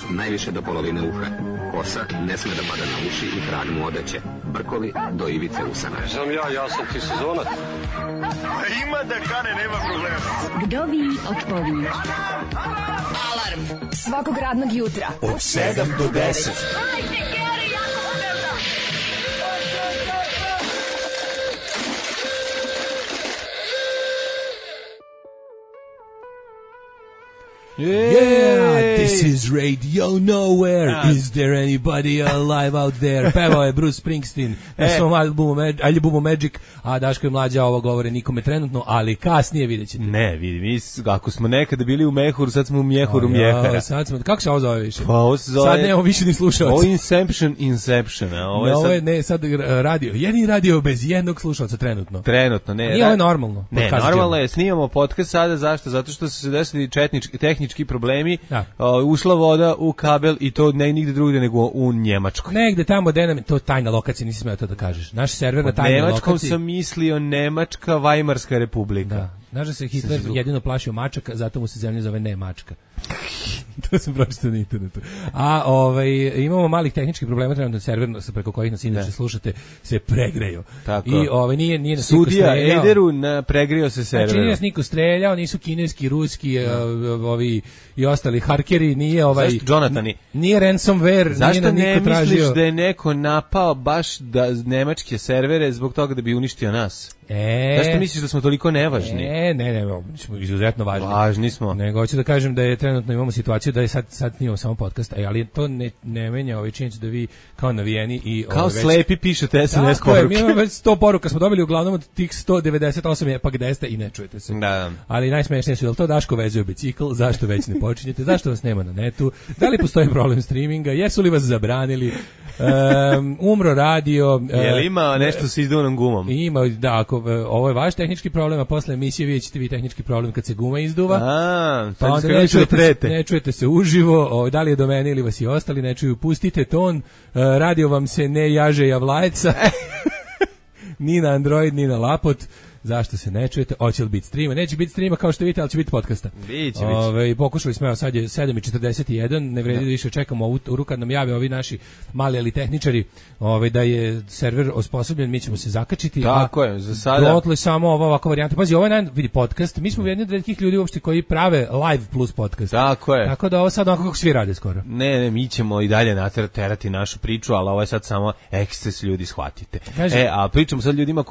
najviše do polovine uha. Kosa ne sme da pada na uši i trag mu odeće. Brkovi do ivice usana. Znam ja sam ti sezonac. Ima da kane, nema problema. Kdo vi odpoví? Alarm svakog radnog jutra Od 7 do 10. Yeah, this is Radio Nowhere. Is there anybody alive out there? Pevao je Bruce Springsteen na svom albumu Magic, a Daško i Mlađa ovo govore nikome trenutno, ali kasnije vidjet ćete. Ne, vidi, mi ako smo nekada bili u Mehuru, sad smo u Mjehuru Mjehara. Sad smo, kako se ovo zove više? Pa ovo se zove... Sad nemamo više ni slušalca. Ovo je Inception, a ovo je sad... sad radio, jedini radio bez jednog slušalca trenutno. Trenutno, ne. Nije ovo normalno. Ne, normalno je, snimamo podcast sada, zašto? Zato što su se desili tehnički problemi, ušla voda u kabel i to ne nigde drugde nego u Njemačkoj. Negde tamo gde nam, to tajna lokacija, nisi smeo to da kažeš. Naš server na tajnoj lokaciji. Nemačkom sam mislio Nemačka Vajmarska republika. Da. Znaš da se Hitler jedino plašio mačaka, zato mu se zemlja zove ne mačka. To sam pročitao na internetu. A imamo malih tehničkih problema, trenutno server preko kojih nas inače slušate se pregreju. Tako. I nije nas sudija Ederu pregrio se server. Znači nije nas niko streljao, nisu kineski, ruski, ovi i ostali harkeri, nije Zašto Jonathani? Nije ransomware, zašto nije niko tražio. Zašto ne misliš da je neko napao baš nemačke servere zbog toga da bi uništio nas? Zašto misliš da smo toliko nevažni? Ne, smo izuzetno važni. Važni smo. Nego hoću da kažem da je trenutno imamo situaciju da je sad imamo samo podcast, ali to ne menja činjenicu da vi kao navijeni i kao slepi pišete SMS poruke. Mi imamo već 100 poruka, smo dobili uglavnom od tih 198 je pa gde ste i ne čujete se. Da. Ali najsmešnije su, jel to Daško vezuje bicikl, zašto već ne počinjete, zašto vas nema na netu, da li postoji problem streaminga, jesu li vas zabranili, umro radio. Je li ima nešto sa izduvanom gumom? Ima, da, ovo je vaš tehnički problem, a posle emisije vidjet ćete vi tehnički problem kad se guma izduva. Pa onda ne čujete se uživo, da li je do mene ili vas i ostali ne čuju, pustite ton, radio vam se ne jaže javlajca, ni na Android, ni na lapot. Zašto se ne čujete? Hoće li biti streama? Neće biti streama kao što vidite, ali će biti podcasta. Biće. Pokušali smo, sad je 7:41, ne vredi da više čekamo uru kad nam jave ovi naši mali ali tehničari da je server osposobljen, mi ćemo se zakačiti. Tako je, za sada. Dotle samo ova ovakva varijanta. Pazi, ovo je vidi podcast, mi smo jedni od retkih ljudi uopšte koji prave live plus podcast. Tako je. Tako da ovo sad onako kako svi rade skoro. Ne, mi ćemo i dalje naterati našu priču, ali ovo je sad samo eksces, ljudi, shvatite. A pričamo sad ljudima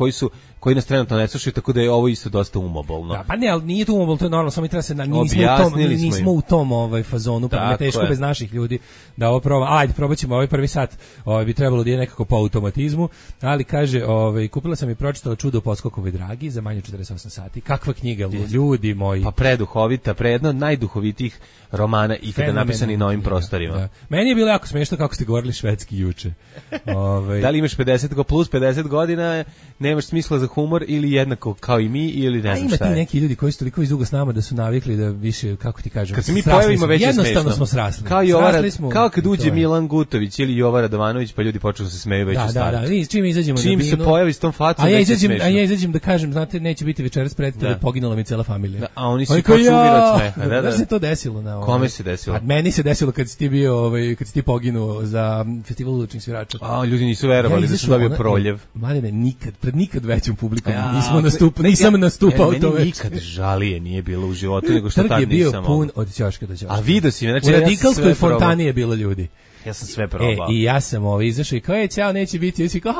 koji nas trenutno ne slušaju, tako da je ovo isto dosta umobolno. Da, pa ne, ali nije to umobolno, to je normalno, samo mi treba se nismo u tom fazonu, pa je teško bez naših ljudi da ovo probamo. Ajde, probat ćemo ovaj prvi sat, bi trebalo da je nekako po automatizmu, ali kaže, kupila sam i pročitala Čudo u Poskokovoj dragi za manje 48 sati. Kakva knjiga, ljudi moji. Pa preduhovita, jedna od najduhovitijih romana ikada napisani na ovim prostorima. Da. Meni je bilo jako smiješno kako ste govorili švedski juče. Da li imaš 50 plus 50 godina, nemaš smisla za humor ili jednako kao i mi ili ne znam šta je. Ima ti neki ljudi koji su toliko izdugo s nama da su navikli da više, kako ti kažem, kad se mi pojavimo već je smešno. Jednostavno smo srasli. Kao kad uđe Milan Gutović ili Jova Radovanović pa ljudi počnu da se smeju već u startu. Da, čim izađemo na binu. Čim se pojavi s tom facom već je smešno. A ja izađem da kažem, znate, neće biti večeras predstave, poginula mi cela familija. A oni su počeli od smeha. Da se to desilo na Kome se desilo? A meni se desilo kad si ti bio, kad si ti poginuo za festival uličnih svirača. A ljudi nisu verovali da sam dobio proljev. Mladine, nikad većom publikom nisam nastupao to već. Nikad žalije nije bilo u životu, nego što tad nisam. Trg je bio pun od ćoška do ćoška. A vidio si, znači u Radikalskoj fontani je bilo ljudi. Ja sam sve probao. I ja sam izašao i kao ćao, neće biti, i kao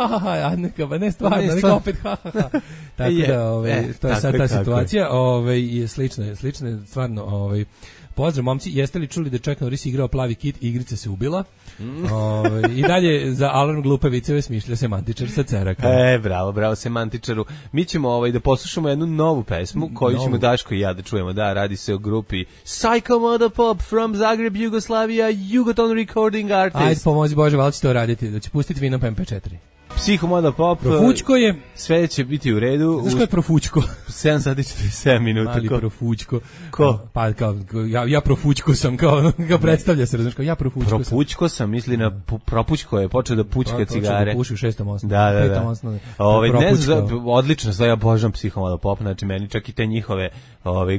a ne stvarno, nego opet Tako da to je sad ta situacija, je slična stvarno pozdrav momci, jeste li čuli da Chuck Norris igrao Plavi kit, igrica se ubila? I dalje za alarm glupe viceve smišlja semantičar sa Ceraka. Bravo semantičaru. Mi ćemo da poslušamo jednu novu pesmu koju ćemo Daško i ja da čujemo. Da, radi se o grupi Psycho Mother Pop from Zagreb, Jugoslavia, Jugoton Recording Artist. Ajde, pomozi Bože, valjda će to raditi, da će pustiti Vinom MP4. Psihomoda Pop. Profućko je. Sve će biti u redu. Znaš ko je Profućko? 7 sati 47 minuta. Ali Profućko. Ko? Pa kao, ja Profućko sam, kao predstavlja se, razumiješ, kao ja Profućko sam. Propućko sam, misli na Propućko je, počeo da pućka cigare. Počeo da puši u 6. osnovu. Da. Ne znam, odlično, sve ja obožavam Psihomoda Pop, znači meni čak i te njihove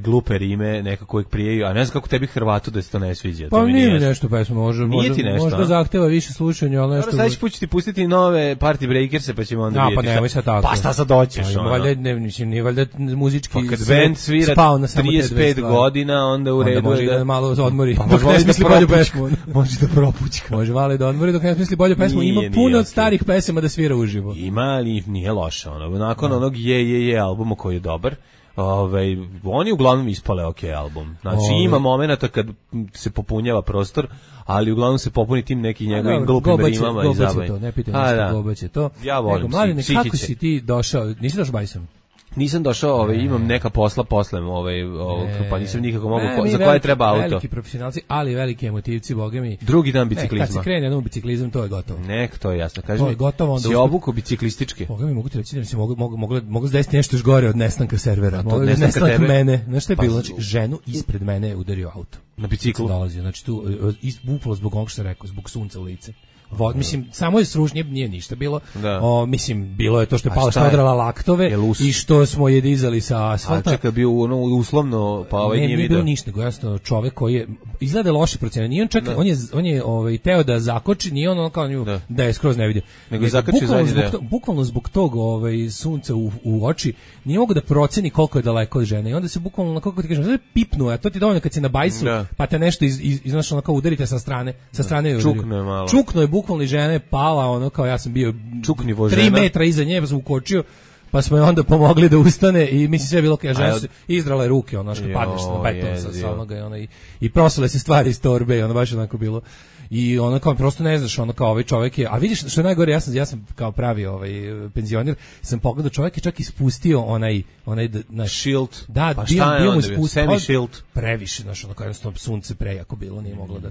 glupe rime nekako uvijek prijeju, a ne znam kako tebi Hrvatu da se to ne sviđa. Pa nije mi nešto pesma, možda zahteva više slušanja, ali nešto... Sad ću ti pustiti nove Party Breakerse, pa ćemo onda vidjeti. Pa nemoj sad tako. Pa šta sad doćeš? Nije valjda muzički pa kad band svira 35 godina, onda u redu onda može da malo odmori, pa dok ne smisli bolju pesmu. Može da propućka. Može vale da odmori dok ne smisli bolju pesmu. Ima puno od starih pesama da svira uživo. Ima, ali nije loše. Nakon onog je albuma koji je dobar, oni uglavnom ispale album. Znači ima momenata kad se popunjava prostor, ali uglavnom se popuni tim nekim njegovim glupim rimama i zabavim. Ne pitaj ništa, Gobaće to. Ja volim Psihiće. Kako si ti došao? Nisi došao bajsom? Nisam došao, imam neka posla poslem, pa nisam nikako mogu, za koje treba auto. Veliki profesionalci, ali veliki emotivci, boga mi. Drugi dan biciklizma. Kad se krene jednom biciklizam, to je gotovo. To je jasno. Kaži mi, si obuko biciklistički? Boga mi, mogu ti reći da mi se mogu zdesiti nešto još gore od nestanka servera. Nestanka mene. Znaš šta je bilo? Znači, ženu ispred mene je udario auto. Na biciklu? Dolazio, znači tu, bukvalo zbog onog što rekao, zbog sunca u lice. Mislim, samo je sružnje, nije ništa bilo. Mislim, bilo je to što je Pala odrala laktove i što smo je dizali sa asfalta. A čekaj, bio uslovno, pa nije vidio. Nije bilo ništa, nego jasno čovek koji je izgleda loše procena. Nije on čak, on je teo da zakoči, nije on kao nju da je skroz ne vidio. Nego zakači zadnji deo. Bukvalno zbog tog sunca u oči, nije mogu da proceni koliko je daleko od žene. I onda se bukvalno, kako ti kažem, pipnuo, a to ti dovoljno kad si na bajsu, pa te nešto iznašao, kao udarite sa strane čukno je bukvalno žena je pala, kao ja sam bio 3 metra iza nje, pa sam ukočio, pa smo je onda pomogli da ustane i mislim sve je bilo kao žena izdrala je ruke, što padneš na beton sa onoga i prosile se stvari iz torbe i baš onako bilo. I kao prosto ne znaš, kao ovaj čovjek je, a vidiš što je najgore, ja sam kao pravi penzioner, sam pogledao, čovjek je čak ispustio onaj shield. Da, pa bio mu ispustio semi shield. Previše, kao jednostavno sunce prejako bilo, nije moglo da.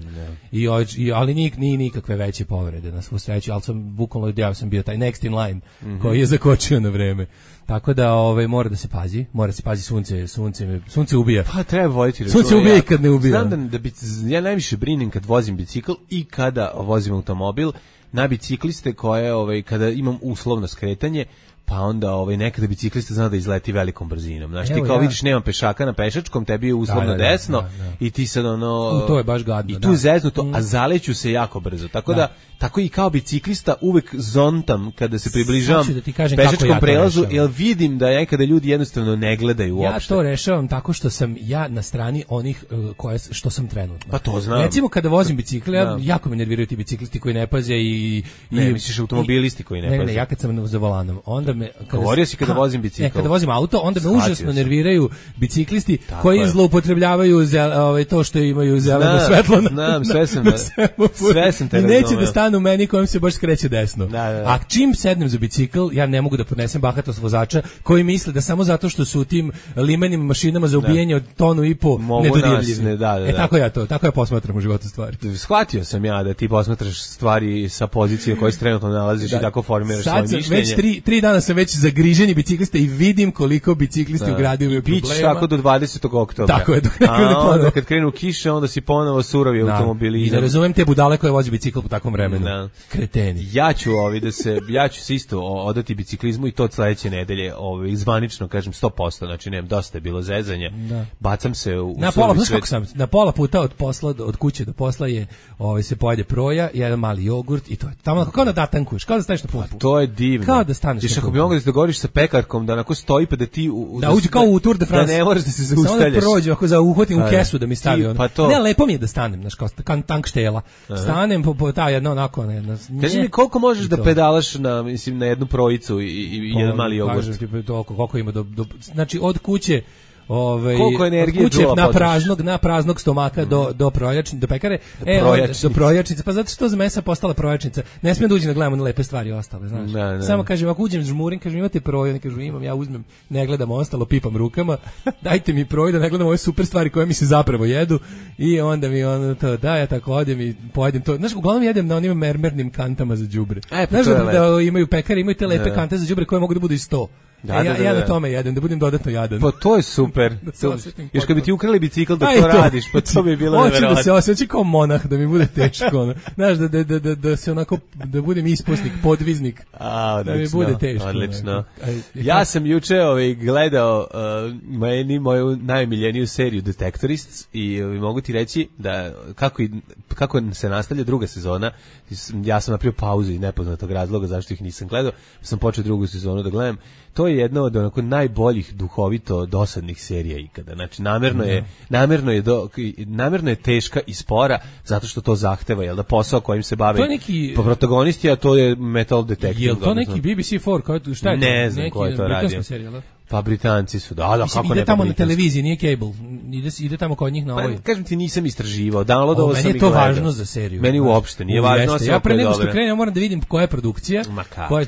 Ali nije nikakve veće povrede na svu sreću, ali sam bukvalno ja sam bio taj next in line koji je zakočio na vreme. Tako da mora se pazi, sunce ubija. Pa treba voditi računa. Sunce ubija i kad ne ubija. Znam ja najviše brinem kad vozim bicikl i kada vozim automobil na bicikliste koje kada imam uslovno skretanje, pa onda nekada biciklista zna da izleti velikom brzinom. Znači ti kao vidiš nema pešaka na pešačkom, tebi je uslovno desno i ti sad to je baš gadno. I tu zeznuto, a zaleću se jako brzo. Tako da tako i kao biciklista uvek zontam kada se približavam pešačkom prelazu, jer vidim da nekada ljudi jednostavno ne gledaju uopšte. Ja to rešavam tako što sam ja na strani onih što sam trenutno. Pa to znam. Recimo kada vozim bicikl, jako me nerviraju ti biciklisti koji ne paze i ne misliš automobilisti koji ne paze. Ne, ja kad sam za volanom, onda govorio si kada vozim bicikl. Kada vozim auto, onda me užasno nerviraju biciklisti koji zloupotrebljavaju to što imaju zeleno svetlo. Znam, sve sam te razumeo. I neće da stanu meni kojem se baš skreće desno. A čim sednem za bicikl, ja ne mogu da podnesem bahatost vozača koji misle da samo zato što su u tim limenim mašinama za ubijanje od tonu i po nedodirljivi. Tako ja posmatram u životu stvari. Shvatio sam ja da ti posmatraš stvari sa pozicije u kojoj se trenutno nalaziš i tako formiraš svoje mišljenje. Već 3 dana sam već zagriženi biciklista i vidim koliko biciklisti u gradu imaju problema. Bić tako do 20. oktobra. Tako je. Onda kad krenu kiše, onda si ponovo surovi automobilizam. I ne razumem te budale koje vozi bicikl po takvom vremenu. Kreteni. Ja ću se isto odati biciklizmu i to od sledeće nedelje, zvanično kažem 100%, znači nemam, dosta je bilo zezanja. Bacam se u na pola puta od kuće do posla je se pojede proja, jedan mali jogurt i to je. Tamo kao da datankuješ, kao da staneš na pumpu. To je divno. Kao da staneš. Viš ako bi mogao da se dogovoriš sa pekarkom da onako stoji pa da ti da uđe kao u Tour de France. Da ne moraš da se zaustavljaš. Samo da prođe, ako uhvatim u kesu da mi stavi ono. Ne, lepo mi je da stanem, znaš, kao tank štela. Stanem po ta jedna onako. Kaži mi koliko možeš da pedalaš na jednu projicu i jedan mali jogurt? Kažem ti koliko ima znači od kuće Koliko energije kuće na praznog stomaka do pekare, do projačnice, pa zato što za mesa postala projačnica. Ne smijem da uđem da gledamo na lepe stvari ostale, znaš. Samo kažem, ako uđem žmurim, kažem imate proju, ne kažem imam, ja uzmem, ne gledam ostalo, pipam rukama, dajte mi proju da ne gledam ove super stvari koje mi se zapravo jedu i onda mi ono to, da ja tako odem i pojedem to. Znaš, uglavnom jedem na onim mermernim kantama za đubre. Znaš da imaju pekare, imaju te lepe kante za đubre koje mogu da budu i 100. Ja na tome jedem, da budem dodatno jadan. Pa to je super. Još kad bi ti ukrali bicikl da to radiš, pa to bi bilo nevjerojatno. Hoću da se osjećam kao monah, da mi bude teško. Znaš, da se onako, da budem isposnik, podviznik. Da mi bude teško. Odlično. Ja sam juče gledao moju najomiljeniju seriju Detectorists i mogu ti reći da kako se nastavlja druga sezona, ja sam napravio pauzu iz nepoznatog razloga zašto ih nisam gledao, sam počeo drugu sezonu da gledam. To je jedna od onako najboljih duhovito dosadnih serija ikada. Znači namerno je teška i spora zato što to zahteva, jel da, posao kojim se bave protagonisti, a to je metal detective. Jel to neki BBC4, šta je to? Ne znam ko je to radio. Pa Britanci su, da, kako ide tamo na televiziji, nije cable, ide tamo kod njih na ovoj. Kažem ti, nisam istraživao, downloadovao sam i gledao. Meni je to važno za seriju. Meni uopšte nije važno. Ja pre nego što krenem moram da vidim koja je produkcija,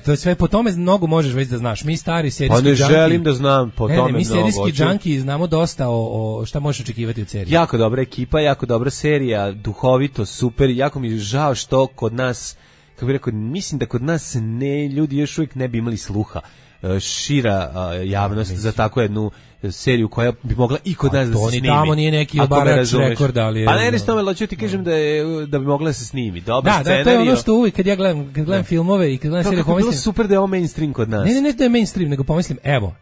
to je sve, po tome mnogo možeš već da znaš. Mi stari serijski džanki. Pa ne želim da znam po tome mnogo. Mi serijski džanki znamo dosta o šta možeš očekivati od serije. Jako dobra ekipa, jako dobra serija, duhovito, super, jako mi je žao što kod nas, kako bih rekao, mislim da kod nas ljudi još uvijek ne bi imali sluha šira javnost za tako jednu seriju koja bi mogla i kod nas da se snimi. Tamo nije neki obarač rekord, ali pa ne tome, hoću ti kažem da bi mogla da se snimi. Dobar scenarijo. Da, to je ono što uvijek kad ja gledam filmove i kad gledam serije pomislim. Bilo super da je ovo mainstream kod nas. Ne da je mainstream, nego pomislim, evo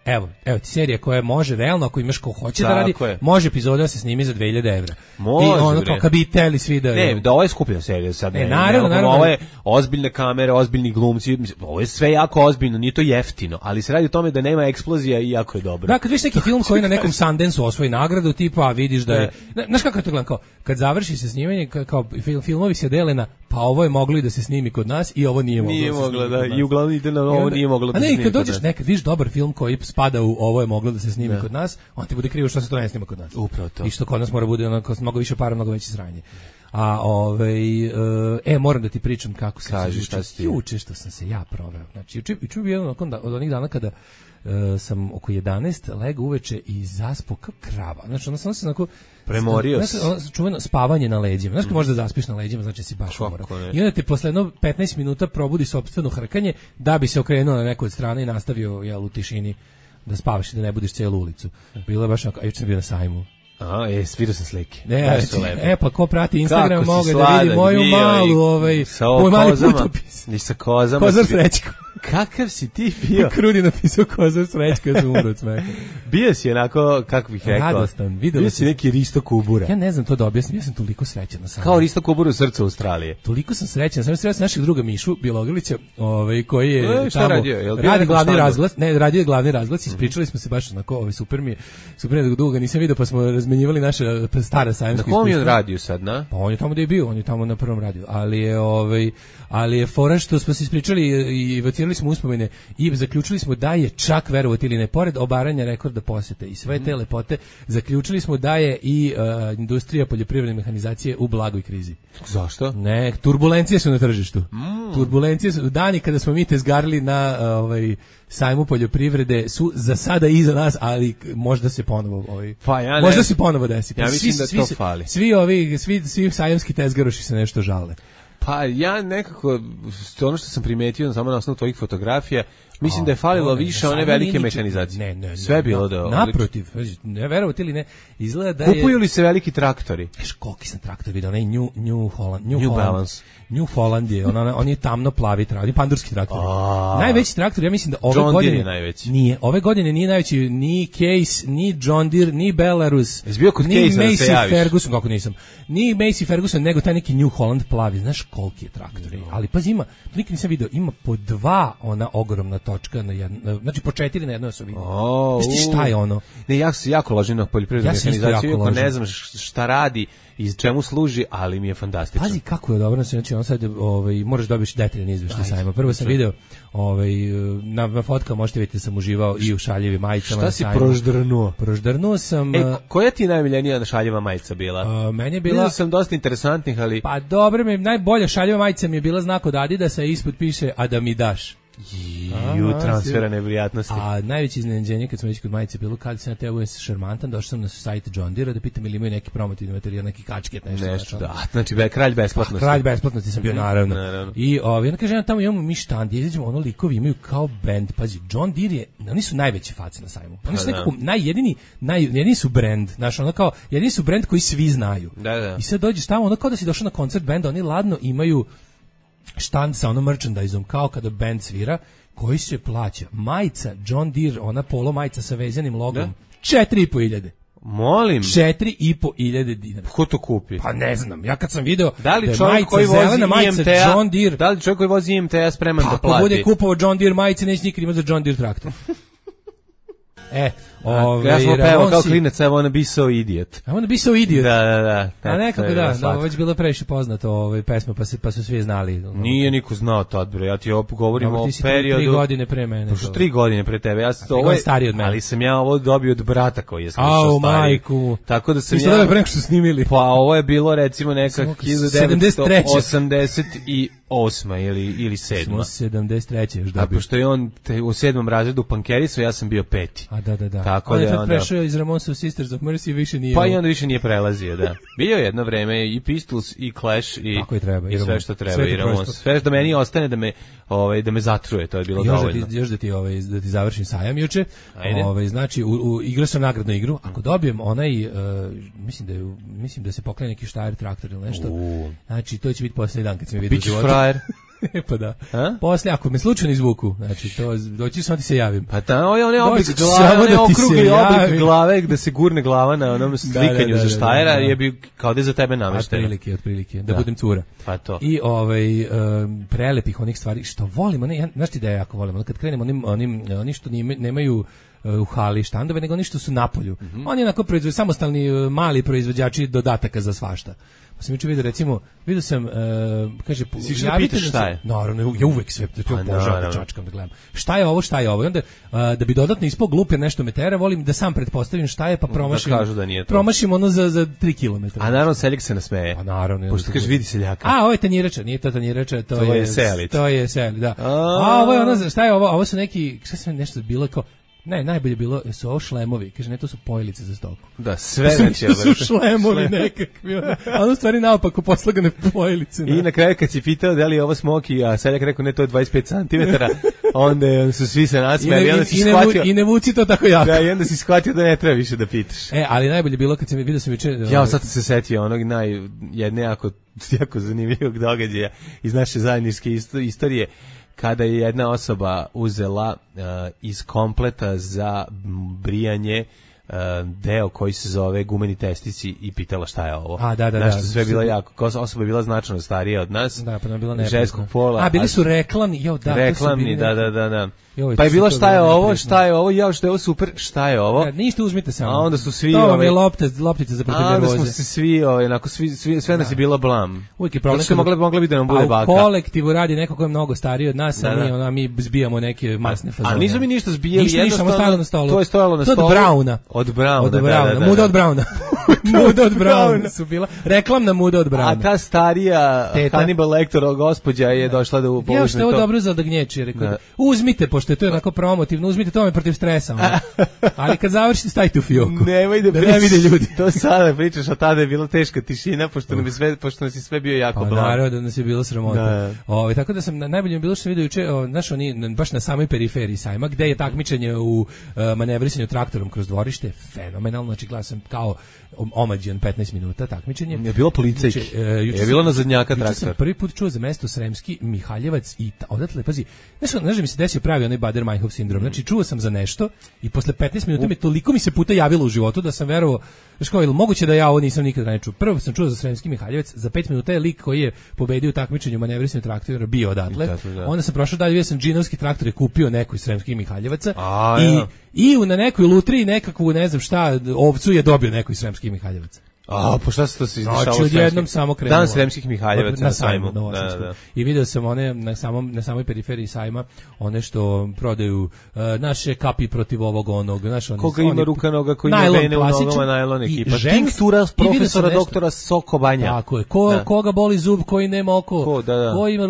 ti serija koja može realno, ako imaš ko hoće da radi, može epizoda da se snimi za 2000 evra. Može. I ono kao kad bi teli svi da... Ne, da ovo je skupljena serija sad. Naravno. Ovo je ozbiljne kamere, ozbiljni glumci, ovo je sve jako ozbiljno, nije to jeftino, ali se radi o tome da nema eksplozija i jako je dobro. Da, kad vidiš neki film koji na nekom Sundance osvoji nagradu, tipa vidiš da je... Znaš kako je to gledam, kao kad završi se snimanje, kao filmovi se dele na pa ovo je moglo i da se snimi kod nas i ovo nije moglo. Nije moglo, da, i uglavnom ide na ovo nije moglo da se snimi kod nas. A ne, kad dođeš nekad vidiš dobar film koji spada u ovo je moglo da se snimi kod nas, on ti bude krivo što se to ne snima kod nas. Upravo to. I što kod nas mora bude onako mnogo više para, mnogo veće sranje. A moram da ti pričam kako sam se juče što sam se ja proveo. Znači juče bi jedan od onih dana kada sam oko 11 legao uveče i zaspao kao krava. Znači, onda sam se onako... Premorio se. Čuveno spavanje na leđima. Znaš, možda zaspiš na leđima, znači si baš umoran. I onda te posle 15 minuta probudi sopstveno hrkanje da bi se okrenuo na neku od strane i nastavio u tišini da spavaš i da ne budiš celu ulicu. Bilo je baš onako, a juče sam bio na sajmu. Svidio sam slike. Pa ko prati Instagram mogu da vidi moju malu, moj mali putopis. I sa kozama. Kozar Srećko. Kakav si ti bio? Krudi napisao Kozar Srećko, ja sam umro od smeha. Bio si onako, kako bih rekao, radostan. Bio si neki Risto Kubura. Ja ne znam to da objasnim, ja sam toliko srećan. Kao Risto Kubura u srcu Australije. Toliko sam srećan, sam srećan našeg druga Mišu Bjelogrlića, koji je tamo radi glavni razglas, radio je glavni razglas, ispričali smo se baš onako, super mi je dugo nisam vidio, pa smo razmenjivali naše stara sajamska iskustva. Na kom je on radio sad, na? Pa on je tamo gde je bio, on je tamo na prvom radiju, ali je fora što smo se ispričali i evocirali smo uspomene i zaključili smo da je čak, verovati ili ne, pored obaranja rekorda posete i sve te lepote, zaključili smo da je i industrija poljoprivredne mehanizacije u blagoj krizi. Zašto? Ne, turbulencije su na tržištu. Turbulencije su, dani kada smo mi tezgarili na sajmu poljoprivrede su za sada iza nas, ali možda se ponovo možda se ponovo desi. Ja mislim da to fali. Svi sajamski tezgaroši se nešto žale. Pa ja nekako, ono što sam primetio samo na osnovu tvojih fotografija, mislim da je falilo više one velike mehanizacije. Ne. Sve bilo da je naprotiv, ne verovati ili ne, izgleda da je... Kupuju li se veliki traktori? Koliki sam traktor vidio, onaj New Balance. New Holland je, on je tamno plavi traktor, on je pandurski traktor. Najveći traktor, ja mislim da ove godine je najveći. Nije, ove godine nije najveći ni Case, ni John Deere, ni Belarus, ni Massey Ferguson, kako nisam. Ni Massey Ferguson, nego taj neki New Holland plavi. Znaš koliki je traktor. Ali pazi, ima, nikad nisam video, ima po 2 ona ogromna točka na jedno, znači po 4 na jednoj osovini. Znaš šta je ono? Ne, ja se jako ložim na poljoprivrednu mehanizaciju, iako ne znam šta radi i čemu služi, ali mi je fantastično. Pazi kako je dobro, znači on sad možeš dobiti detaljan izveštaj sajma. Prvo sam video na fotkama možete vidjeti da sam uživao i u šaljivim majicama. Šta si proždrnuo? Proždrnuo sam. Koja ti je najmiljenija šaljiva majica bila? Meni je bila. Vidio sam dosta interesantnih, ali pa dobro, najbolja šaljiva majica mi je bila znak od Adidasa, ispod piše a da mi daš. Transfera neprijatnosti. A najveće iznenađenje kad smo već kod majice bilo kad sam na tebu šarmantan, došao sam na sajt John Deere da pitam ili imaju neki promotivni materijal, neki kačket, nešto. Da, znači kralj besplatnosti. Kralj besplatnosti sam bio, naravno. I onda kaže, tamo imamo mi štand, izađemo, ono likovi imaju kao bend, pazi, John Deere je, oni su najveće face na sajmu. Oni su nekako jedini su brend, znaš, ono kao, jedini su brend koji svi znaju. Da. I sad dođeš tamo, ono kao da si došao na koncert benda, oni ladno imaju štand sa onom merchandise-om, kao kada band svira, koji se plaća. Majica John Deere, ona polo majica sa vezanim logom, 4.500. Molim. 4.500 dinara. Ko to kupi? Pa ne znam. Ja kad sam video da li čovjek koji vozi IMT-a, John Deere, da li čovjek koji vozi IMT-a spreman da plati? Ako bude kupovao John Deere majice, neće nikad imati za John Deere traktor. Ja sam pevao kao klinac, I wanna be so idiot. I wanna be so idiot. Da. A nekako već bilo previše poznato pesma, pa su svi znali. Nije niko znao tad, bre, ja ti govorim o periodu. 3 godine pre mene. 3 godine pre tebe, ja sam to stariji od mene. Ali sam ja ovo dobio od brata koji je slušao stariji. Majku. Tako da sam ja. Ti ste pre što snimili. Pa ovo je bilo recimo neka 1988 ili 7. Smo 73. još dobio. A pošto je on u 7. razredu pankerisao, ja sam bio 5. A da. Tako on je tad prešao iz Ramones Sisters of Mercy, više nije. Pa i onda više nije prelazio, da. Bio je jedno vreme i Pistols i Clash i sve što treba i Ramones. Sve što meni ostane da me zatruje, to je bilo dovoljno. Još da ti završim sajam juče. Znači igrao sam nagradnu igru. Ako dobijem onaj mislim da se poklanja neki Steyr traktor ili nešto. Znači to će biti posljednji dan kad se mi vidi u životu. Frajer. Pa da. Posle, ako me slučajno izvuku, znači to doći samo ti se javim. Pa tamo je onaj oblik glave, onaj okrugli oblik glave gde se gurne glava na onom slikanju za Steyra, je bi kao da je za tebe namešteno. Otprilike, da budem cura. Pa to. I prelepih onih stvari što volimo, znaš ti da ja jako volim, kad krenemo oni što nemaju u hali štandove, nego oni što su na polju. Oni onako proizvode samostalni mali proizvođači dodataka za svašta. Pa sam juče vidio sam, kaže, javite šta je? Naravno, ja uvek sve, to obožavam, čačkam da gledam. Šta je ovo? I onda, da bi dodatno ispao glup jer nešto me tera, volim da sam pretpostavim šta je, pa promašim ono za 3 km. A naravno, seljak se nasmeje. A naravno. Pošto kaže, vidi seljaka. Ovo je tanjirača, nije to tanjirača, to je selic. To je selic, da. A ovo je ono, šta je ovo? Ovo su neki, šta sam nešto bilo kao, ne, najbolje bilo su ovo šlemovi, kaže, ne, to su pojelice za stoku. Da, sve su šlemovi nekakvi, a ono stvari naopako poslagane pojelice. I na kraju kad si pitao da li je ovo smoki, a seljak rekao ne, to je 25 cm, onda su svi se nasmijali. I ne vuci to tako jako. Da, i onda si shvatio da ne treba više da pitaš. Ali najbolje bilo kad sam vidio sam juče. Ja sad se setio onog jedne jako zanimljivog događaja iz naše zajedničke istorije, kada je jedna osoba uzela iz kompleta za brijanje deo koji se zove gumeni testici i pitala šta je ovo. Da. Sve bila jako, osoba je bila značno starija od nas. Da, pa nam bila ženskog pola. Bili su reklamni, reklamni, da. Pa je bilo šta je ovo, šta je ovo super, šta je ovo? Ništa, uzmite samo. A onda su svi to vam je loptica za protiv nervoze. A onda smo se svi, sve nas je bilo blam. Uvijek je problem. Mogla bi da nam bude baka. A u kolektivu radi neko ko je mnogo stariji od nas, a mi zbijamo neke masne fazone. A nisu mi ništa zbijali, jednostavno to je stojalo na stolu. Od Brauna. Od Brauna. Muda od Brauna. Muda od Brauna su bila. Reklamna muda od Brauna. A ta starija Hannibal Lecter gospođa je došla da upolužne to. Ja što je ovo dobro za odagnječi, rekao. Uzmite, pošto je to onako promotivno, uzmite to me protiv stresa. Ali kad završite, stavite u fioku. Nemoj da ne vide ljudi. To sada pričaš, a tada je bila teška tišina, pošto nas je sve bio jako blam. Naravno da nas je bilo sramota. Tako da sam, najbolje mi bilo što sam vidio juče, znaš, oni baš na samoj periferiji sajma, gde je takmičenje u manevrisanju traktorom kroz dvorište, fenomenalno, znači gledam sam kao omađen 15 minuta takmičenje. Je bilo policajki. Je bilo na zadnjaka traktor. Sam prvi put čuo za mesto Sremski Mihaljevac i odatle, pazi, znaš da mi se desio pravi onaj Bader-Meinhof sindrom. Znači, čuo sam za nešto i posle 15 minuta toliko mi se puta javilo u životu da sam verovao, znaš kao, ili moguće da ja ovo nisam nikad ne čuo. Prvo sam čuo za Sremski Mihaljevac, za 5 minuta je lik koji je pobedio u takmičenju manevrisanja traktora bio odatle. Onda sam prošao dalje, bio sam džinovski traktor je kupio neko iz Sremskih Mihaljevaca i na nekoj lutriji nekakvu, ne znam šta, ovcu je dobio neko iz Sremskih Mihaljevaca. Po šta se to se izdešavalo? Znači, odjednom samo krenulo. Dan Sremskih Mihaljevaca na sajmu. Da. I video sam one na samoj periferiji sajma, one što prodaju naše kapi protiv ovog onog. Koga ima ruka noga, koji ima vene u nogama, najlon ekipa. Tinktura profesora doktora Sokobanja. Tako je. Koga boli zub, koji nema oko, ko ima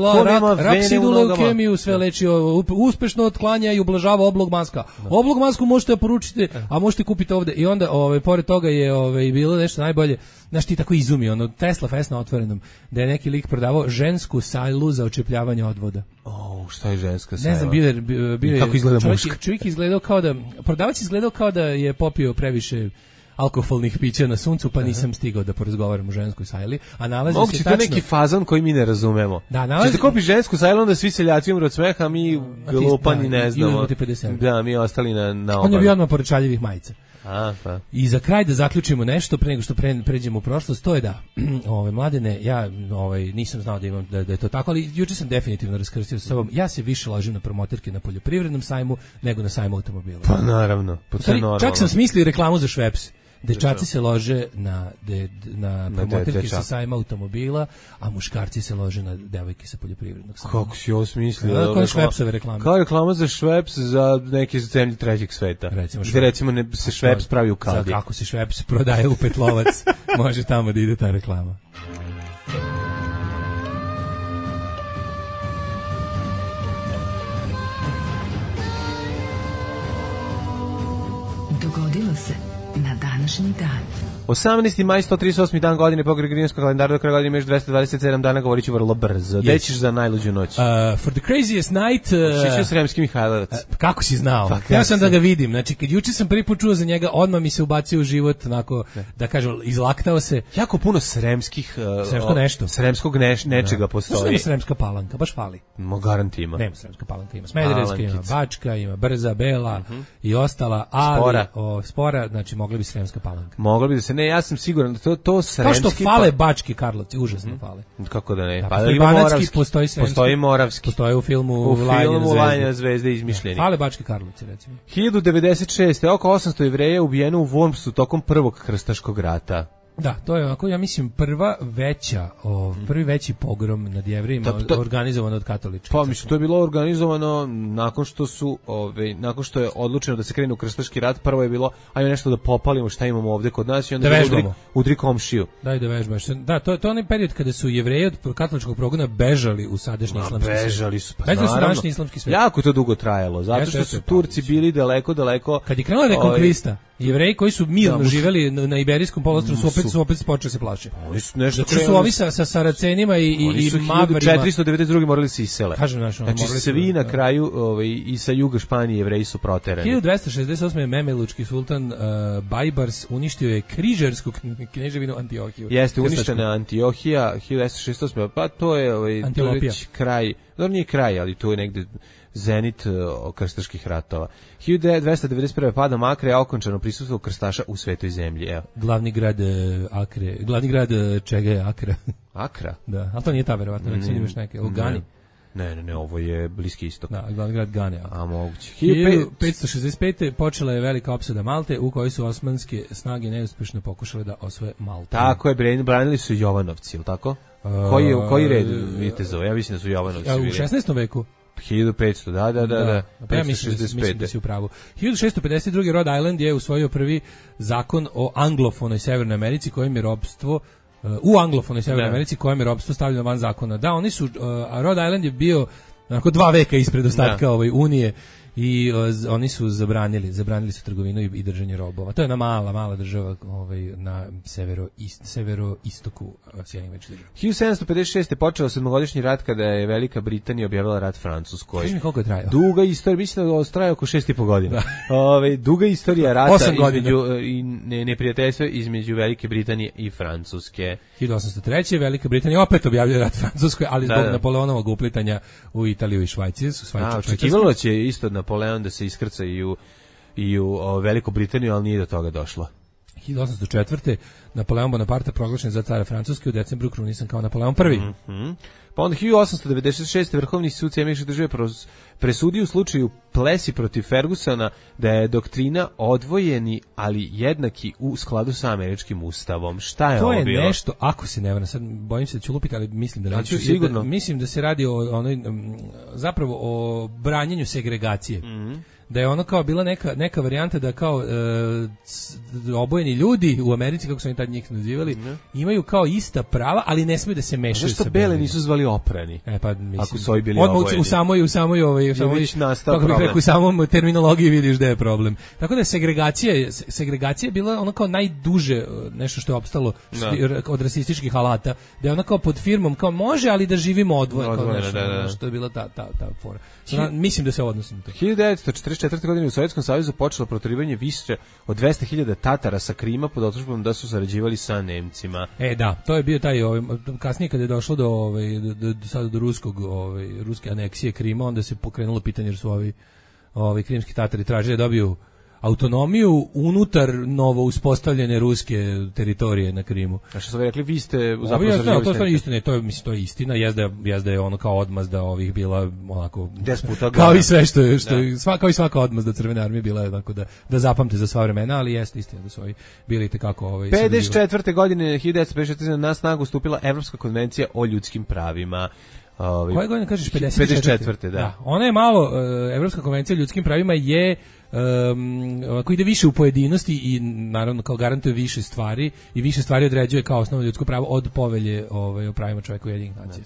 raksidnu leukemiju, sve leči, uspešno otklanja i ublažava oblog maska. Oblog masku možete poručiti, a možete kupiti ovde. I onda, pored toga je bilo nešto najbolje. Znaš ti tako izumi, ono Tesla Fest na otvorenom, da je neki lik prodavao žensku sajlu za očepljavanje odvoda. Šta je ženska sajla? Ne znam, bio je kako izgleda muška? Čovjek izgledao kao da, prodavac izgledao kao da je popio previše alkoholnih pića na suncu, pa nisam stigao da porazgovaram o ženskoj sajli, a nalazi se tačno... Moguće to neki fazon koji mi ne razumemo. Da, nalazi... Čete kupi žensku sajlu, onda svi seljaci umru od smeha, a mi glupani ne znamo. Da, mi ostali na obali. On je bio odmah pored šaljivih majica. Pa. I za kraj da zaključimo nešto pre nego što pređemo u prošlost, to je da mladene, ja nisam znao da imam da je to tako, ali juče sam definitivno raskrstio sa sobom. Ja se više ložim na promoterke na poljoprivrednom sajmu nego na sajmu automobila. Pa naravno, to je normalno. Čak sam smislio reklamu za Schweppes. Dečaci se lože na promoterke sa sajma automobila, a muškarci se lože na devojke sa poljoprivrednog sajma. Kako si ovo smislio? Kao Schweppesove reklame. Kao reklama za Schweppes za neke zemlje trećeg sveta. Recimo se Schweppes pravi u kaldi. Kako se Schweppes prodaje u Petlovac, može tamo da ide ta reklama. Dogodilo se na današnji dan. 18. maj, 138. dan godine po Gregorijanskom kalendaru, do kraja godine imaš 227 dana, govorit ću vrlo brzo. Gde ćeš za najluđu noć? For the craziest night... Šišio Sremski Mihajlovac. Kako si znao? Ja sam da ga vidim. Znači, kad juče sam prvi put čuo za njega, odmah mi se ubacio u život, onako, da kažem, izlaktao se. Jako puno sremskih... Sremsko nešto. Sremskog nečega postoji. Znači, Sremska Palanka, baš fali. Garanti ima. Nema Sremska Palanka, ima Smederevska, ima Bačka, ima Brza, Bela i ostala, ali Spora, znači, mogla bi Sremska Palanka. Mogla bi da se, ne, ja sam siguran da to Sremski... Kao što fale Bački Karlovci, užasno fale. Kako da ne? Pa Banatski, postoji Sremski. Postoji Moravski. Postoji u filmu Lanja zvezde izmišljeni. Fale Bački Karlovci, recimo. 1096. Oko 800 Jevreja ubijeno u Wormsu tokom prvog krstaškog rata. Da, to je ovako, ja mislim, prvi veći pogrom nad Jevrejima organizovan od katoličkih. Pa mislim, to je bilo organizovano nakon što je odlučeno da se krene u krstaški rat. Prvo je bilo, ajme nešto da popalimo šta imamo ovde kod nas i onda udri komšiju. Daj da vežbaš. Da, to je onaj period kada su Jevreji od katoličkog progona bežali u sadašnji islamski svijet. Bežali su, pa naravno. Islamski svijet. Jako to dugo trajalo, zato što su Turci bili daleko. Kad je krenula rekonkvista, Jevreji koji su mirno živeli na Iberijskom poluostrvu su opet počeli se plašiti. Oni su nešto su ovi sa Saracenima i Mavarima. 492. morali se isele. Znači svi na kraju i sa juga Španije Jevreji su proterani. 1268. Memelučki sultan Bajbars uništio je križarsku kneževinu Antiohiju. Jeste uništena Antiohija 1268. Pa to je već kraj. Dobro, nije kraj, ali to je negde zenit krstaških ratova. 1291. pada Akre, a okončano prisustvo krstaša u svetoj zemlji. Evo. Glavni grad čega je Akra? Akra? Da, ali to nije ta verovatno, već imaš neke, Gani. Ne, ovo je Bliski istok. Da, glavni grad Gane. A moguće. 1565. počela je velika opsada Malte, u kojoj su osmanske snage neuspešno pokušale da osvoje Maltu. Tako je, branili su Jovanovci, ili tako? Koji red vitezova? Ja mislim da su Jovanovci. U 16. veku? 1500, da. Pa ja mislim da si u pravu. 1652. Rhode Island je usvojio prvi zakon o anglofonoj Severnoj Americi, kojim je ropstvo u anglofonoj Severnoj Americi, kojim je ropstvo stavljeno van zakona. Da, oni su, a Rhode Island je bio onako 2 veka ispred ostatka Unije i oni su zabranili su trgovinu i držanje robova. To je jedna mala država na severoistoku Sjedinjenih Američkih Država. 1756. je počeo 7-godišnji rat kada je Velika Britanija objavila rat Francuskoj. Kaži mi koliko je trajao? Duga istorija, mislim da traje oko 6,5 godina. Duga istorija rata između neprijateljstva između Velike Britanije i Francuske. 1803. Velika Britanija opet objavljuje rat Francuskoj, ali zbog Napoleonovog uplitanja u Italiju i Švajcarsku. Očekivalo će isto Napoleon da se iskrca i u Veliku Britaniju, ali nije do toga došlo. 1804. Napoleon Bonaparte proglašen za cara Francuske, u decembru krunisan kao Napoleon I. Pa onda 1896. Vrhovni sud Sjedinjenih Država presudio u slučaju Plessy protiv Fergusona da je doktrina odvojeni, ali jednaki u skladu sa američkim ustavom. Šta je ovo bilo? To je nešto, ako se ne varam, sad bojim se da ću lupiti, ali mislim da neću. Sigurno. Mislim da se radi zapravo o branjenju segregacije. Da je ono kao bila neka varijanta da kao obojeni ljudi u Americi, kako su oni tad njih nazivali, imaju kao ista prava, ali ne smiju da se mešaju sa bele nisu zvali oprani. Pa mislim. Ako su ovi bili obojeni. U samom terminologiji vidiš da je problem. Tako da segregacija je bila ono kao najduže nešto što je opstalo od rasističkih alata, da je ono kao pod firmom kao može, ali da živimo odvojeno, kao nešto što je bila ta fora. Mislim da se odnosi na to. 1944. godine u Sovjetskom savezu počelo proterivanje više od 200.000 Tatara sa Krima pod optužbom da su sarađivali sa Nemcima. Da, to je bio taj kasnije kada je došlo do ruske aneksije Krima, onda se pokrenulo pitanje jer su ovi krimski Tatari tražili da dobiju autonomiju unutar novo uspostavljene ruske teritorije na Krimu. A što su rekli, vi ste zapravo sarađivali s Nemcima? To je istina, jezda je ono kao odmazda ovih bila onako kao i sve kao i svaka odmazda Crvene armije bila je onako da zapamte za sva vremena, ali jeste istina da su ovi bili itekako 54. godine 1954. na snagu stupila Evropska konvencija o ljudskim pravima. Koje godine kažeš? 54. Da. Ona je malo, Evropska konvencija o ljudskim pravima je koji ide više u pojedinosti i naravno kao garantuje više stvari i više stvari određuje kao osnovno ljudsko pravo od povelje o pravima čovjeka Ujedinjenih nacija.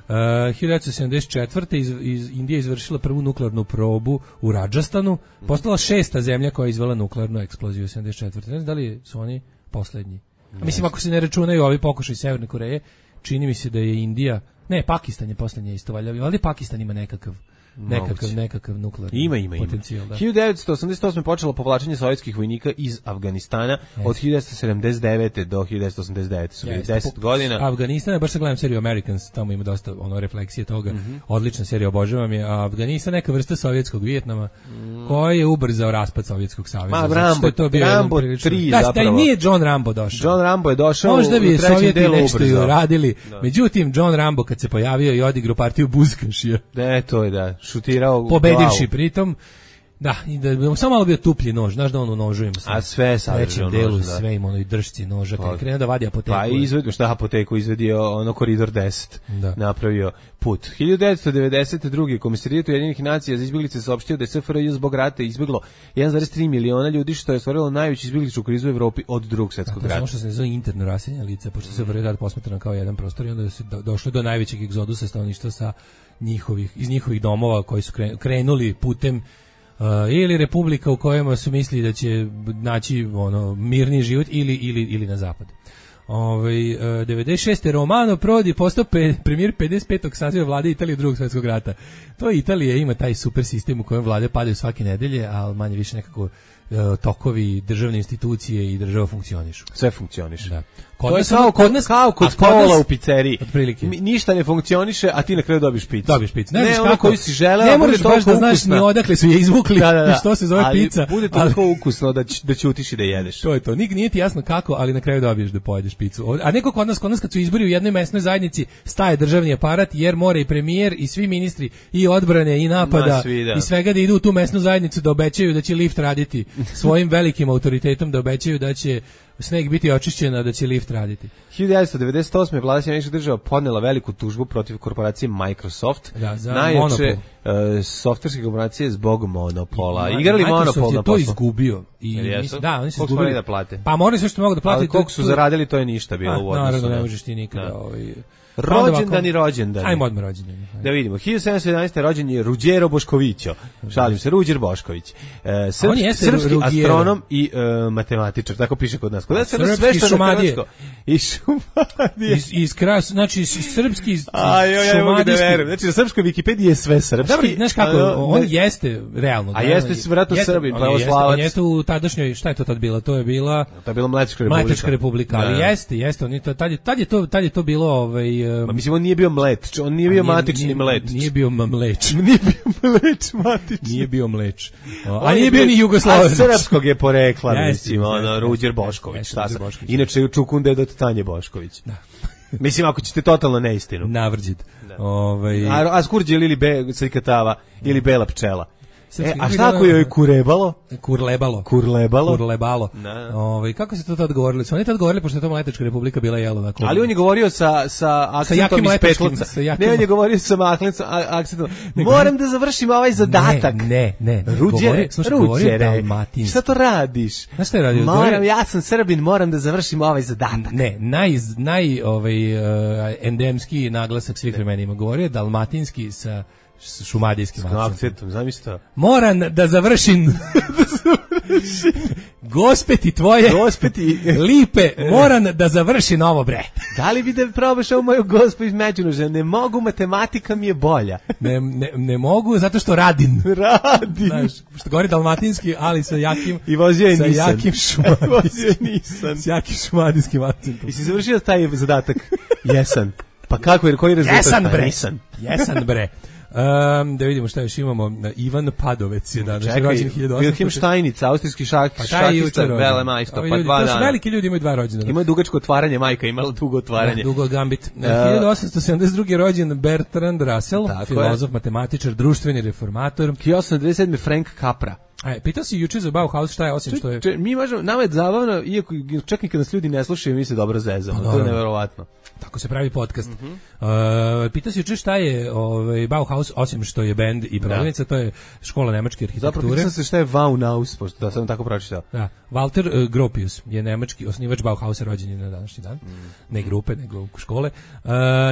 1974. Indija izvršila prvu nuklearnu probu u Radžastanu, postala 6. zemlja koja je izvela nuklearnu eksploziju u 1974. Ne znam da li su oni poslednji. Mislim, ako se ne računaju ovi pokušaj Severne Koreje, čini mi se da je Indija, Pakistan je poslednje isto valjda, ali Pakistan ima nekakav nuklearni potencijal. 1988. počelo povlačenje sovjetskih vojnika iz Afganistana. Od 1979. do 1989. su bili 10 godina. Afganistan, baš se gledam seriju Americans, tamo ima dosta refleksije toga. Odlična serija, obožavam je. A Afganistan neka vrsta sovjetskog Vijetnama koji je ubrzao raspad Sovjetskog saveza. Rambo 3 zapravo. Da, nije John Rambo došao. John Rambo je došao možda bi u trećem Sovjeti delu nešto i uradili. Međutim, John Rambo kad se pojavio i odigrao partiju buzkašija. To je da. Šutirao pobedivši pritom. Da, i da bi samo malo bio tuplji nož, znaš da on u nožu ima a sve sadrži u delu, sve ima ono i dršci noža, kad krene da vadi apoteku. Pa izvedio apoteku, izvedio koridor 10, napravio put. 1992. Komisarijat Ujedinjenih nacija za izbjeglice saopštio da je SFRJ zbog rata izbjeglo 1,3 miliona ljudi, što je stvorilo najveću izbjegličku krizu u Evropi od Drugog svjetskog rata. Samo što se ne zove interno raseljena lica, pošto se SFRJ rad posmatrano kao jedan prostor i onda se došlo do najvećeg egzodusa stanovništva iz njihovih domova koji su krenuli putem ili republika u kojima su mislili da će naći mirni život ili na zapad. 96. Romano Prodi postao premijer 55. saziva vlade Italije Drugog svjetskog rata. To Italija ima taj super sistem u kojem vlade padaju svake nedelje, ali manje više nekako tokovi, državne institucije i država funkcionišu. Sve funkcioniše. Da. To je kao kod kola u pizzeriji. Ništa ne funkcioniše, a ti na kraju dobiš picu. Ne ono koju si želeo, ne moraš baš da znaš ni odakle su je izvukli i što se zove pizza. Ali bude toliko ukusno da ćutiš i da jedeš. To je to. Nije ti jasno kako, ali na kraju dobiješ da pojedeš picu. A neko kod nas kad su izbori u jednoj mesnoj zajednici, staje državni aparat jer mora i premijer i svi ministri i odbrane i napada i svega da idu u tu mesnu zajednicu da obećaju da će lift raditi svojim velikim autoritetom, da obećaju da će sneg biti očišćen, a da će lift raditi. 1998. vlada Sjedinjenih Država podnela veliku tužbu protiv korporacije Microsoft, najjače softverske korporacije zbog monopola. Igrali monopol na poslu. To izgubio. Da, oni su izgubili da plate. Pa morali sve što mogu da plate. Ali koliko su zaradili, to je ništa bilo u odnosu. Naravno, ne možeš ti nikada Rođendan i rođendan. Ajmo odmah rođendan. Da vidimo. 1711. rođen je Ruđero Boškovićo. Šalim se, Ruđer Bošković. Srpski astronom i matematičar, tako piše kod nas. Kod nas je sve što Šumadije. I Šumadije. Znači, srpski šumadijski. Znači, na srpskoj Wikipediji je sve srpski. Dobro, znaš kako, on jeste realno. A jeste vjerojatno Srbin, pravoslavac. On jeste u tadašnjoj, šta je to tad bilo? To je bila Mletačka republika. Ali jeste, on je to, tad je to bilo mislim, on nije bio mlet, on nije bio matični mleč. Nije bio mleč. Nije bio mleč matični. Nije bio mleč. A nije bio ni Jugoslaven. A srpskog je porekla, mislim, Ruđer Bošković. Inače je Čukunde do Tanje Bošković. Da. Mislim, ako ćete totalno neistinu. Navrđit. A Skurđel ili Srikatava ili Bela pčela. A šta ako joj kurebalo? Kurlebalo. Kako se to tad govorili? Su oni tad govorili, pošto je to Mletačka republika bila jelo. Ali on je govorio sa akcentom iz Petlovca. Ne, on je govorio sa akcentom. Moram da završim ovaj zadatak. Ne. Ruđere, šta to radiš? Znaš šta je radio? Ja sam Srbin, moram da završim ovaj zadatak. Ne, endemski naglasak svih vremenima. Govorio je dalmatinski sa šumadijskim akcentom, zamislite. Moram da završim gospeti tvoje lipe, moram da završim ovo, bre. Da li bi da probaš ovu moju gospu iz Međunoža? Ne mogu, matematika mi je bolja. Ne mogu, zato što radim. Znaš, što govori dalmatinski, ali sa jakim i vozio je Nissan. Sa jakim šumadijskim. S jakim šumadijskim akcentom. I si završio taj zadatak? Jesan. Pa kako je, koji rezultat? Jesan, bre. Da vidimo šta još imamo. Ivan Padovec je danas rođen 1800. Wilhelm Steinitz, austrijski šahista, velemajstor, pa 2 dana. To su veliki ljudi, imaju 2 rođena. Imaju dugačko otvaranje, majka imala dugo otvaranje. Dugo gambit. 1872. rođen Bertrand Russell, filozof, matematičar, društveni reformator. 1897. Frank Capra. Pitao si juče za Bauhaus šta je, osim što je... Mi možemo, nama je zabavno, iako čak i kad nas ljudi ne slušaju, mi se dobro zezamo. To je neverovatno. Tako se pravi podcast. Pitao si juče šta je Bauhaus, osim što je bend i prodavnica, to je škola nemačke arhitekture. Zapravo pitao sam se šta je Bauhaus, pošto da sam tako pročitao. Da, Walter Gropius je nemački osnivač Bauhausa, rođen je na današnji dan. Ne grupe, nego škole.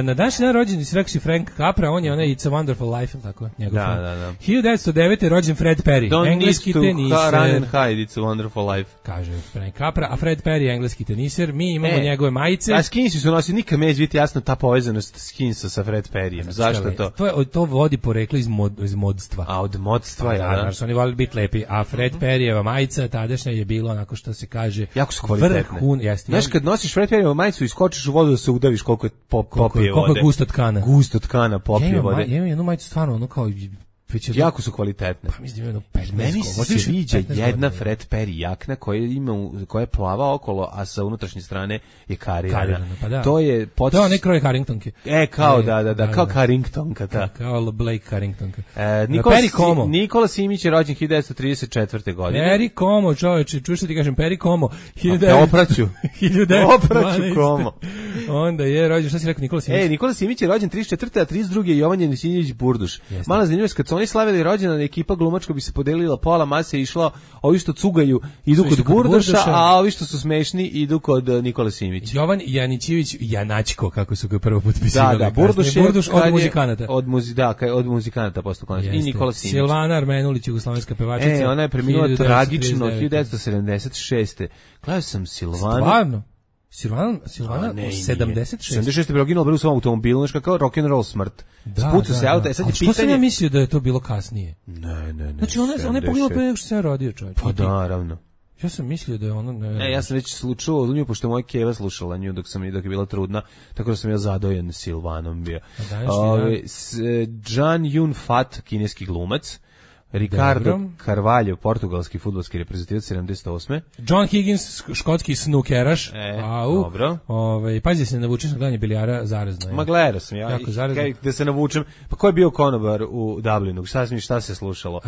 Na današnji dan rođen si rekao si Frank Capra, on je onaj It's a Wonderful Life, tako? Da. 1909. je rođen Fred Perry, engleski teniser. Run and hide, It's a Wonderful Life. Kaže Frank Capra, a Fred Perry je engleski teniser. Mi imamo njegove majice. A Skinsi su nosili, nikad neće biti jasno ta povezanost Skinsa sa Fred Perryjem. Zašto to? To vodi poreklo iz modstva. A od modstva, ja. Da, su oni volili biti lepi. A Fred Perryjeva majica tadašnja je bilo onako što se kaže jako su kvalitetne. Znaš, kad nosiš Fred Perryjevu majicu i skočiš u vodu da se udaviš koliko je popije vode. Koliko je gusto tkana. Gusto tkana popije vode. Ja imam jednu majicu stvarno ono kao... Jako su kvalitetne. Pa mislim jedno 15. Meni se sviđa jedna Fred Perry jakna koja je plava okolo, a sa unutrašnje strane je karirana. Pa da. To je ne kroje Harringtonke. Kao kao Harringtonka, da. Kao Blake Harringtonka. Nikola Simić je rođen 1934. godine. Perry Como, čoveče, čuš što ti kažem, Perry Como. Opraću Como. Onda je rođen, šta si rekao, Nikola Simić? Nikola Simić je rođen 34. a 32. je Jovan Jenisinović Burduš. Mala zanimljivost, kad su oni slavili rođendan, ekipa glumačka bi se podelila, pola mase išla, ovi što cugaju idu kod Burduša, a ovi što su smešni idu kod Nikole Simić. Jovan Janićević Janačko, kako su ga prvo potpisivali. Da, Burduš od muzikanata. Od muzikanata postao konačno. I Nikola Simić. Silvana Armenulić, jugoslovenska pevačica. Ona je preminula tragično 1976. Gledao sam Silvanu. Stvarno? Silvana 76. 76. je preginula u svom automobilu, nešto kao rock and roll smrt. Spucu se auto, sad je pitanje. Što sam ja mislio da je to bilo kasnije? Ne. Znači ona je poginula pre nego što se ja rodio, čovjek. Pa naravno. Ja sam mislio da je ona... ja sam već slučao nju, pošto moja keva slušala nju dok je bila trudna, tako da sam ja zadojen Silvanom bio. Jan Yun Fat, kineski glumac. Ricardo Carvalho, portugalski fudbalski reprezentativac 78. John Higgins, škotski snukeraš. Dobro. Pazi se, navučeš na gledanje bilijara, zarazno je. Ma gledao sam ja. Da se navučem. Pa ko je bio konobar u Dublinu? Šta se slušalo?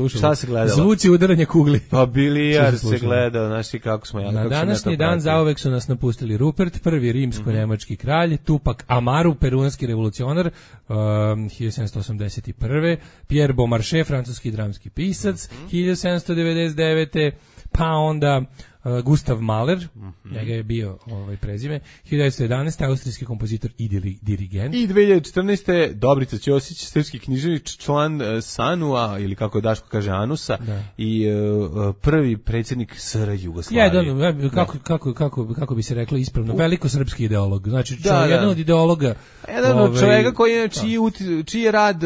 Šta se gledalo? Zvuci udaranja kugli. Pa bilijar se gledao, znaš ti kako smo Na današnji dan zauvek su nas napustili Rupert, prvi rimsko-nemački kralj, Tupac Amaru, peruanski revolucionar, 1781. Pierre Beaumarchais, francuski dramski pisac, 1799. Pa onda Gustav Mahler, njega je bio prezime, 1911. austrijski kompozitor i dirigent. I 2014. Dobrica Ćosić, srpski književnik, član SANU-a, ili kako je Daško kaže Anusa, i prvi predsjednik SR Jugoslavije. Kako bi se reklo ispravno, velikosrpski ideolog. Znači, jedan od ideologa. Jedan od čovjeka koji je, čiji je rad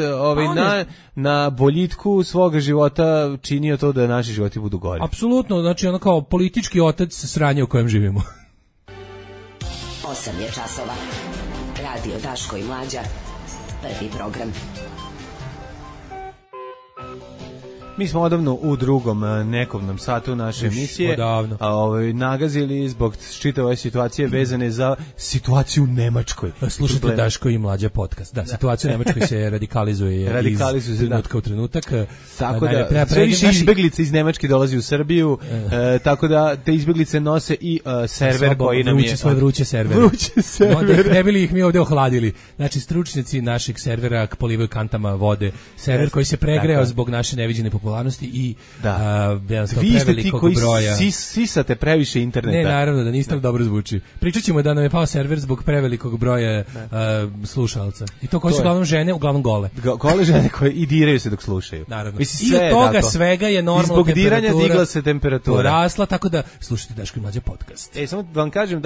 na boljitku svoga života činio to da naši životi budu gori. Apsolutno, znači ono kao politički otac sranja u kojem živimo. 8 je časova. Radio Daško i Mlađa. Prvi program. Mi smo odavno u drugom nekovnom satu naše emisije, nagazili zbog čitave ove situacije vezane za situaciju u Nemačkoj. Slušajte Daško i Mlađa podcast. Da, situacija u Nemačkoj se radikalizuje iz trenutka u trenutak. Tako da, sve više izbeglice iz Nemačke dolazi u Srbiju, tako da te izbeglice nose i server koji nam je... Svoje vruće servere. Ne bili ih mi ovdje ohladili. Znači, stručnjaci našeg servera polivaju kantama vode. Server koji se pregreo zbog naše neviđene popularnosti i vi ste ti koji sisate previše interneta. Ne, naravno da niste dobro zvuči. Pričat ćemo da nam je pao server zbog prevelikog broja slušalca. I to koji su uglavnom žene, uglavnom gole. Gole žene koje i diraju se dok slušaju. Naravno. I od toga svega je normalna temperatura. I zbog diranja digla se temperatura. Porasla, tako da slušajte Daško i Mlađa podcast. Samo da vam kažem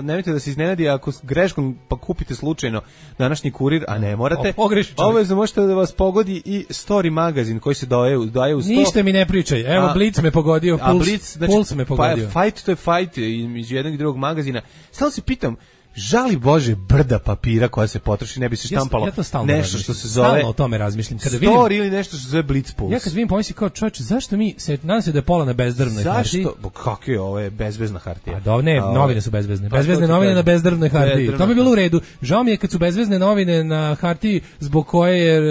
nemojte da se iznenadi ako greškom pa kupite slučajno današnji Kurir, a ne morate. Obavezno možete da vas pogodi i Story magazin koji se daje u 100. Ništa mi ne pričaj. Evo Blitz me pogodio, Puls me pogodio. Fight to je fight između jednog i drugog magazina. Samo se pitam, žali Bože brda papira koja se potroši, ne bi se štampalo nešto što se zove... Stalno o tome razmišljam. Kada Story ili nešto što se zove Blitz Puls. Ja kad vidim pomislim kao čovječe, zašto mi se, nadam se da je pola na bezdrvnoj hartiji. Zašto? Kako je ovo, je bezvezna hartija? A da, ne, novine su bezvezne. Bezvezne novine na bezdrvnoj hartiji. To bi bilo u redu. Žao mi je kad su bezvezne novine na hartiji zbog koje je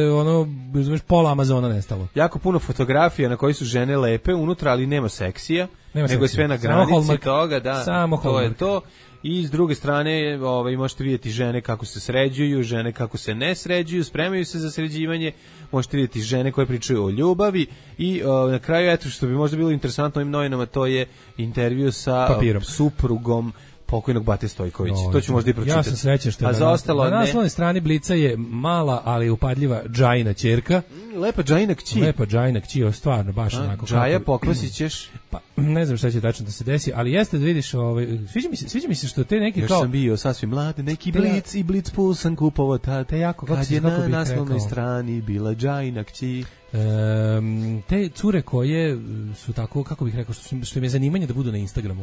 pola Amazona nestalo. Jako puno fotografija na koji su žene lepe unutra, ali nema seksija. Nego je sve na granici toga, da. To je to. I s druge strane možete vidjeti žene kako se sređuju, žene kako se ne sređuju, spremaju se za sređivanje, možete vidjeti žene koje pričaju o ljubavi i na kraju, eto što bi možda bilo interesantno ovim novinama, to je intervju sa suprugom pokojnog Bate Stojkovića. To ću možda i pročitati. Ja sam srećan što je na naslovnoj strani Blica je mala, ali upadljiva Džajina ćerka. Lepa Džajina kći. Lepa Džajina kći, stvarno, baš onako. Džaja, pokvasit ćeš? Pa, ne znam šta će tačno da se desi, ali jeste da vidiš, sviđa mi se što te neki još kao... Još sam bio sasvim mlad, neki Blic i Blic Puls sam kupovao tad, kad je na naslovnoj strani bila Džajina kći. Te cure koje su tako, kako bih rekao, što im je zanimanje da budu na Instagramu.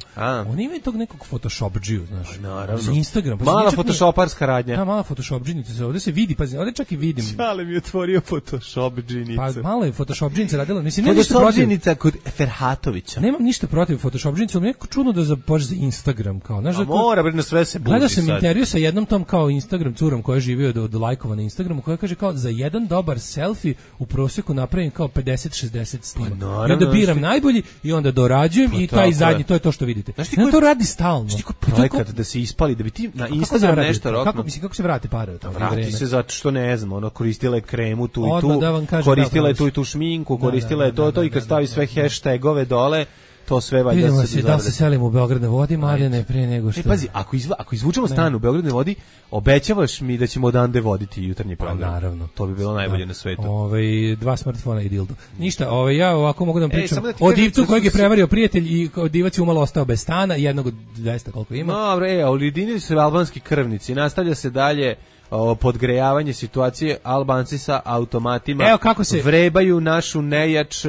Oni imaju tog nekog photoshopdžiju, znaš. Naravno. Za Instagram. Mala photoshoparska radnja. Da, mala photoshopdžinica. Ovdje se vidi, pazi, ovdje čak i vidim. Šale mi je otvorio photoshopdžinicu. Pa malo je photoshopdžinica radila. Mislim, photoshopdžinica kod Ferhatovića. Nemam ništa protiv photoshopdžinice, ali neko čudno da zapođe za Instagram. Kao, znaš, mora, bre, na sve se buši. Gledao sam intervju sa jednom tom kao Instagram curom koja živio od lajkova na Instagramu, koja kaže kao za jedan dobar selfie u prosjeku napravim kao 50-60 snima. I onda biram najbolji i onda dorađujem i taj zadnji, to je to što vidite. Ja to radi stalno. Znaš ti koji projekat da se ispali, da bi ti na Instagram nešto rokno? Kako se vrate pare? Vrati se zato što ne znam, koristila je kremu tu i tu, koristila je tu i tu šminku, koristila je to i kad stavi sve hashtagove dole, to sve valjda se dozavlja. Da se selimo u Beograd na vodi, Mladene, pre nego što... pazi, ako izvučemo stan u Beograd na vodi, obećavaš mi da ćemo odande voditi jutarnji program. Naravno. To bi bilo najbolje na svetu. 2 smartfona i dildo. Ništa, ja ovako mogu da vam pričam o divcu kojeg je prevario prijatelj i divac je umalo ostao bez stana, jednog od 200 koliko ima. Dobro, ujedinili su albanski krvnici, nastavlja se dalje podgrejavanje situacije, Albanci sa automatima vrebaju našu nejač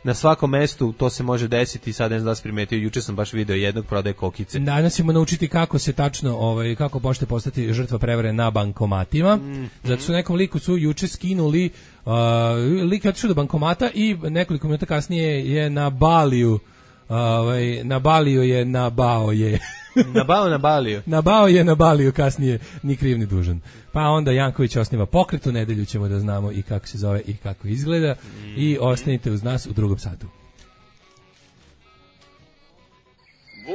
na svakom mestu, to se može desiti, sad ne znam da se primetio, juče sam baš video jednog prodaje kokice. Danas ćemo naučiti kako se tačno, kako možete postati žrtva prevare na bankomatima, zato su nekom liku su juče skinuli, lik je otišao do bankomata i nekoliko minuta kasnije je na Baliju, na Baliju je nabao je. Na Baliju. Nabao je na Baliju, kasnije ni kriv ni dužan. Pa onda Janković osniva pokret, u nedelju ćemo da znamo i kako se zove i kako izgleda i ostanite uz nas u drugom satu.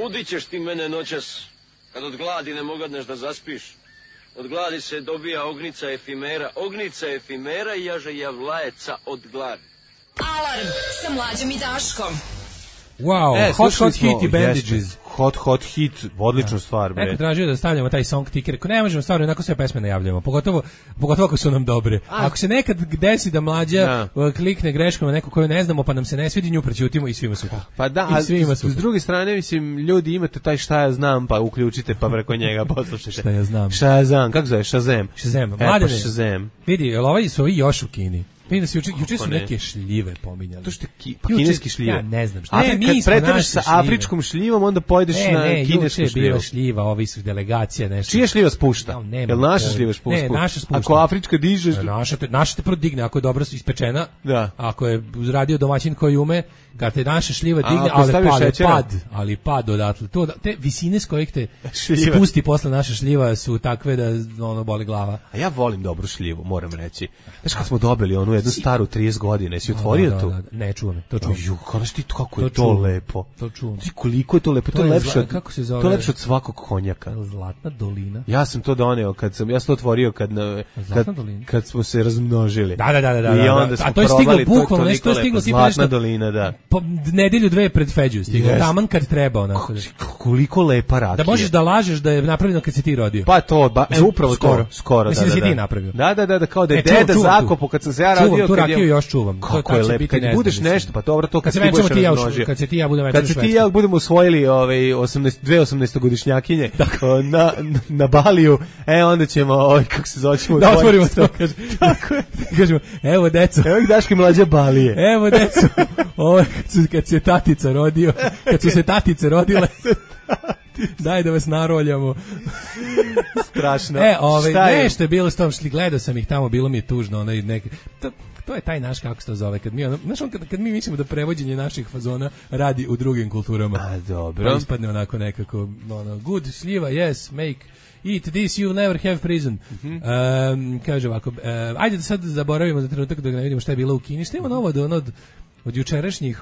Budit ćeš ti mene noćas, kad od gladi ne mogadneš da zaspiš. Od gladi se dobija ognica efimera i jaže javlajeca od gladi. Alarm sa Mlađom i Daškom. Wow, hot hit i bandages. Hot hit, odlična stvar, bre. Neko tražio da stavljamo taj song ticker, ne možemo stvarno onako sve pesme najavljamo, pogotovo ako su nam dobre. Ako se nekad desi da mlađa klikne greškom na neku koju ne znamo, pa nam se ne svidi, nju prećutimo i svima super. Pa da, a s druge strane, mislim, ljudi imate taj šta ja znam, pa uključite, pa preko njega poslušajte. Šta ja znam, kako zove, Shazam. Mladene, Shazam. Vidi, ovaj su ovi još u Kini. Vidim da se juče su neke šljive pominjali. To što kineski šljive. Ja ne znam šta. Kad pretereš sa afričkom šljivom, onda pojedeš na kinesku šljivu. Bila šljiva, ovi su delegacija, nešto. Čija šljiva spušta? Jel naša šljiva spušta? Ne, naša spušta. Ako afrička dižeš... Naša te prodigne, ako je dobro ispečena, ako je uradio domaćin koji ume, kad te naša šljiva digne, ali pad odatle. Te visine s kojih te spusti posle naša šljiva su takve da ono boli glava. A ja volim dobru šljivu, moram reći. Znaš kad smo dobili onu jednu staru 30 godina, si otvorio tu? Ne, čuvam, to čuvam. Kažeš ti kako je to lepo. To čuvam. Ti koliko je to lepo, to je lepše od svakog konjaka. Zlatna dolina. Ja sam to doneo, ja sam to otvorio kad smo se razmnožili. Da. I onda smo a to je stiglo bukvalno, nešto je stiglo Zlatna dolina, da. Po nedelju dve pred Feđu stiglo, taman kad treba onako. Koliko lepa rakija. Da možeš da lažeš da je napravljeno kad si ti rodio. Pa to, upravo skoro. Mislim da si ti napravio. Da, kao da je deda zakopo kad sam se ja radio. Tu rakiju još čuvam. Kako je lepo, kad budeš nešto, pa dobro, to kad se budeš razmnožio. Kad se ti ja budemo kad se ti ja budemo usvojili dve 18-godišnjakinje na Baliju, onda ćemo, kako se zove, da otvorimo to, tako je. Kažemo, evo deco. Evo ih Daške mlađe Balije. Evo deco, kad se tatica rodio, kad su se tatice rodile, daj da vas naroljamo. Strašno. Nešto je bilo s tom, gledao sam ih tamo, bilo mi je tužno, to je taj naš, kako se to zove, kad mi mislimo da prevođenje naših fazona radi u drugim kulturama. A, dobro. Pa ispadne onako nekako, good, šljiva, yes, make, eat this, you never have prison. Kaže ovako, ajde da sad zaboravimo za trenutak da ne vidimo šta je bilo u Kini, šta ima novo od jučerašnjih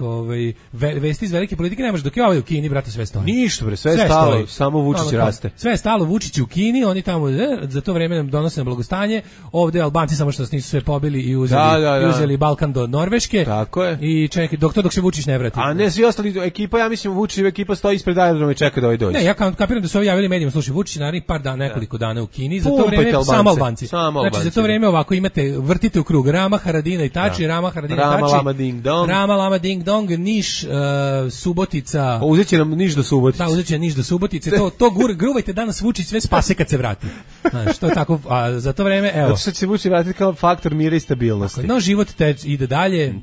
vesti iz velike politike, ne može dok je ovaj u Kini, brate, sve stoji. Ništa, bre, sve je stalo, samo Vučić raste. Sve je stalo, Vučić u Kini, oni tamo za to vreme nam donose na blagostanje, ovde Albanci samo što nas nisu sve pobili i uzeli Balkan do Norveške. Tako je. I čekaj, dok se Vučić ne vrati. A ne, svi ostali ekipa, ja mislim Vučićeva ekipa stoji ispred aerodroma i čeka da ovaj dođe. Ne, ja kapiram da su ovi javili medijima, slušaj, Vučić narednih par dana, nekoliko dana u Kini, za to vreme samo Albanci. Znači za to vreme ovako imate, vrtite u krug Rama, Haradina i Tači, Rama, Haradina i Tači. Rama, Lama, Ding Dong, Niš, Subotica. Uzet će nam Niš do Subotice. Da, uzet će Niš do Subotice. To gruvajte danas Vučić sve spase kad se vrati. Znaš, to je tako, a za to vreme, evo. Zato što će Vučić vratiti kao faktor mira i stabilnosti. No, život ide dalje,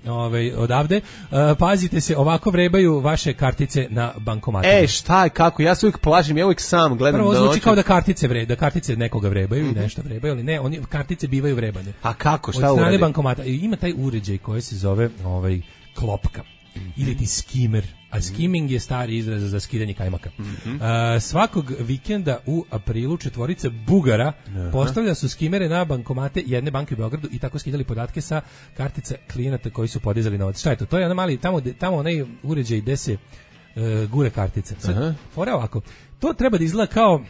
odavde. Pazite se, ovako vrebaju vaše kartice na bankomatima. Šta je, kako? Ja se uvijek plašim, ja uvijek sam gledam. Prvo zvuči kao da kartice nekoga vrebaju i nešto vrebaju, ali ne, oni kartice bivaju vrebane. A kako, šta uradi? Od strane bankomata. Ima taj uređaj koji se zove klopka ili ti skimer, a skimming je stari izraz za skidanje kajmaka. Svakog vikenda u aprilu četvorica Bugara postavlja su skimere na bankomate jedne banke u Beogradu i tako skidali podatke sa kartica klijenata koji su podizali novac. Šta je to? To je mali, tamo onaj uređaj gde se gure kartice. Fora ovako, to treba da izgleda kao...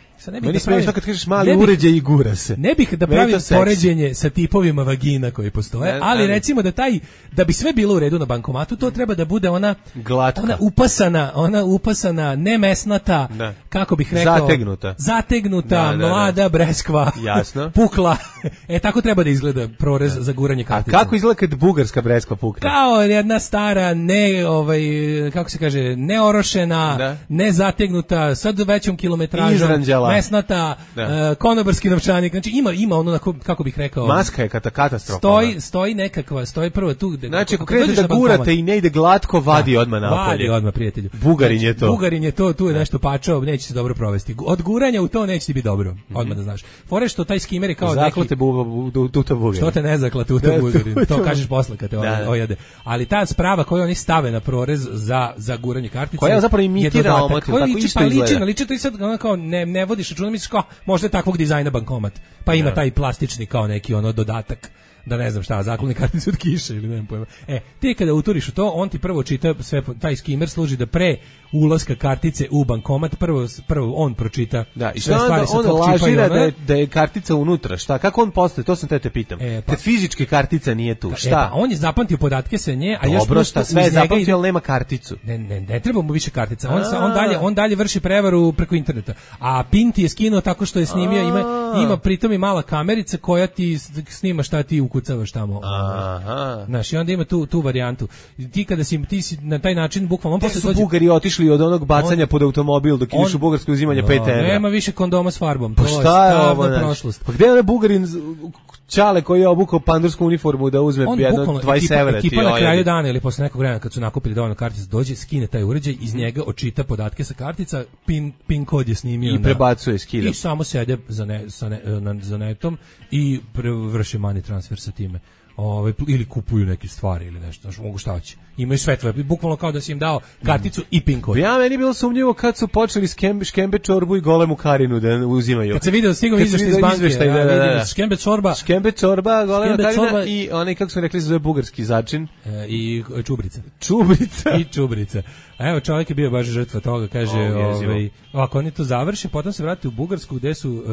Meni smiješ kad kažeš mali uređaj i gura se. Ne bih da pravim poređenje sa tipovima vagina koji postoje, ali recimo da bi sve bilo u redu na bankomatu, to treba da bude ona upasana, nemesnata, kako bih rekao, zategnuta, mlada breskva, jasno, pukla. Tako treba da izgleda prorez za guranje kartice. A kako izgleda kad bugarska breskva pukne? Kao jedna stara, kako se kaže, neorošena, nezategnuta, sad većom kilometražom, mesnata, konobarski novčanik, znači ima ono, kako bih rekao... Maska je katastrofa. Stoji prvo tu... Znači, ako krenete da gurate i ne ide glatko, vadi odmah napolje. Vadi odmah, prijatelju. Bugarin je to. Tu je nešto pačao, neće se dobro provesti. Od guranja u to neće ti biti dobro, odmah da znaš. Fore što taj skimer je kao zaklate tuta Bugarin. Što te ne zakla tuta Bugarin, to kažeš posle kad te ojade. Ali ta sprava koju oni stave na prorez za guranje kartice... Koja zapravo imitira omotil, tako isto izgleda. Liči to i sad kao ne vodiš računa, misliš kao možda je takvog dizajna bankomat, pa ima taj plastični kao neki dodatak da ne znam šta, zakloni karticu od kiše ili nemam pojma. Ti kada uturiš u to, on ti prvo čita sve, taj skimer služi da pre ulaska kartice u bankomat prvo on pročita sve stvari sa tvog čipa i da je kartica unutra, šta, kako on postaje, to sam te pitam. Kad fizički kartica nije tu, šta? On je zapamtio podatke sa nje, a još šta, sve je zapamtio, ali nema karticu. Ne treba mu više kartica. On dalje vrši prevaru preko interneta. A PIN ti je skinuo tako što je snimio, ima pritom i mala kamerica koja ti snima šta ti ukucavaš tamo. Znaš, i onda ima tu varijantu. Ti kada si na taj način bukvalno posle su Bugari otišli od onog bacanja pod automobil dok ideš u Bugarsko uzimanje 5 €. Nema više kondoma s farbom. Pa šta je ovo, prošlost. Pa gde je onaj Bugarin Čale koji je obukao pandursku uniformu da uzme jedno 20 evra. Ekipa na kraju dana ili posle nekog vremena kad su nakupili dovoljno kartica, dođe, skine taj uređaj, iz njega očita podatke sa kartica, PIN kod je snimio i prebacuje, skida. I samo sede za netom i vrše money transfer sa time. Ili kupuju neke stvari ili nešto, znači mogu šta hoće. Imaju sve tvoje, bukvalno kao da si im dao karticu i PIN kod. Ja, meni bilo sumnjivo kad su počeli škembe čorbu i golemu Karinu da uzimaju. Kad se vidio, stigao izveštaj iz banke, škembe čorba, golema Karina i onaj, kako su rekli, zove bugarski začin. I čubrica. I čubrica. A evo, čovjek je bio baš žrtva toga, kaže, ako oni to završe, potom se vrati u Bugarsku gde su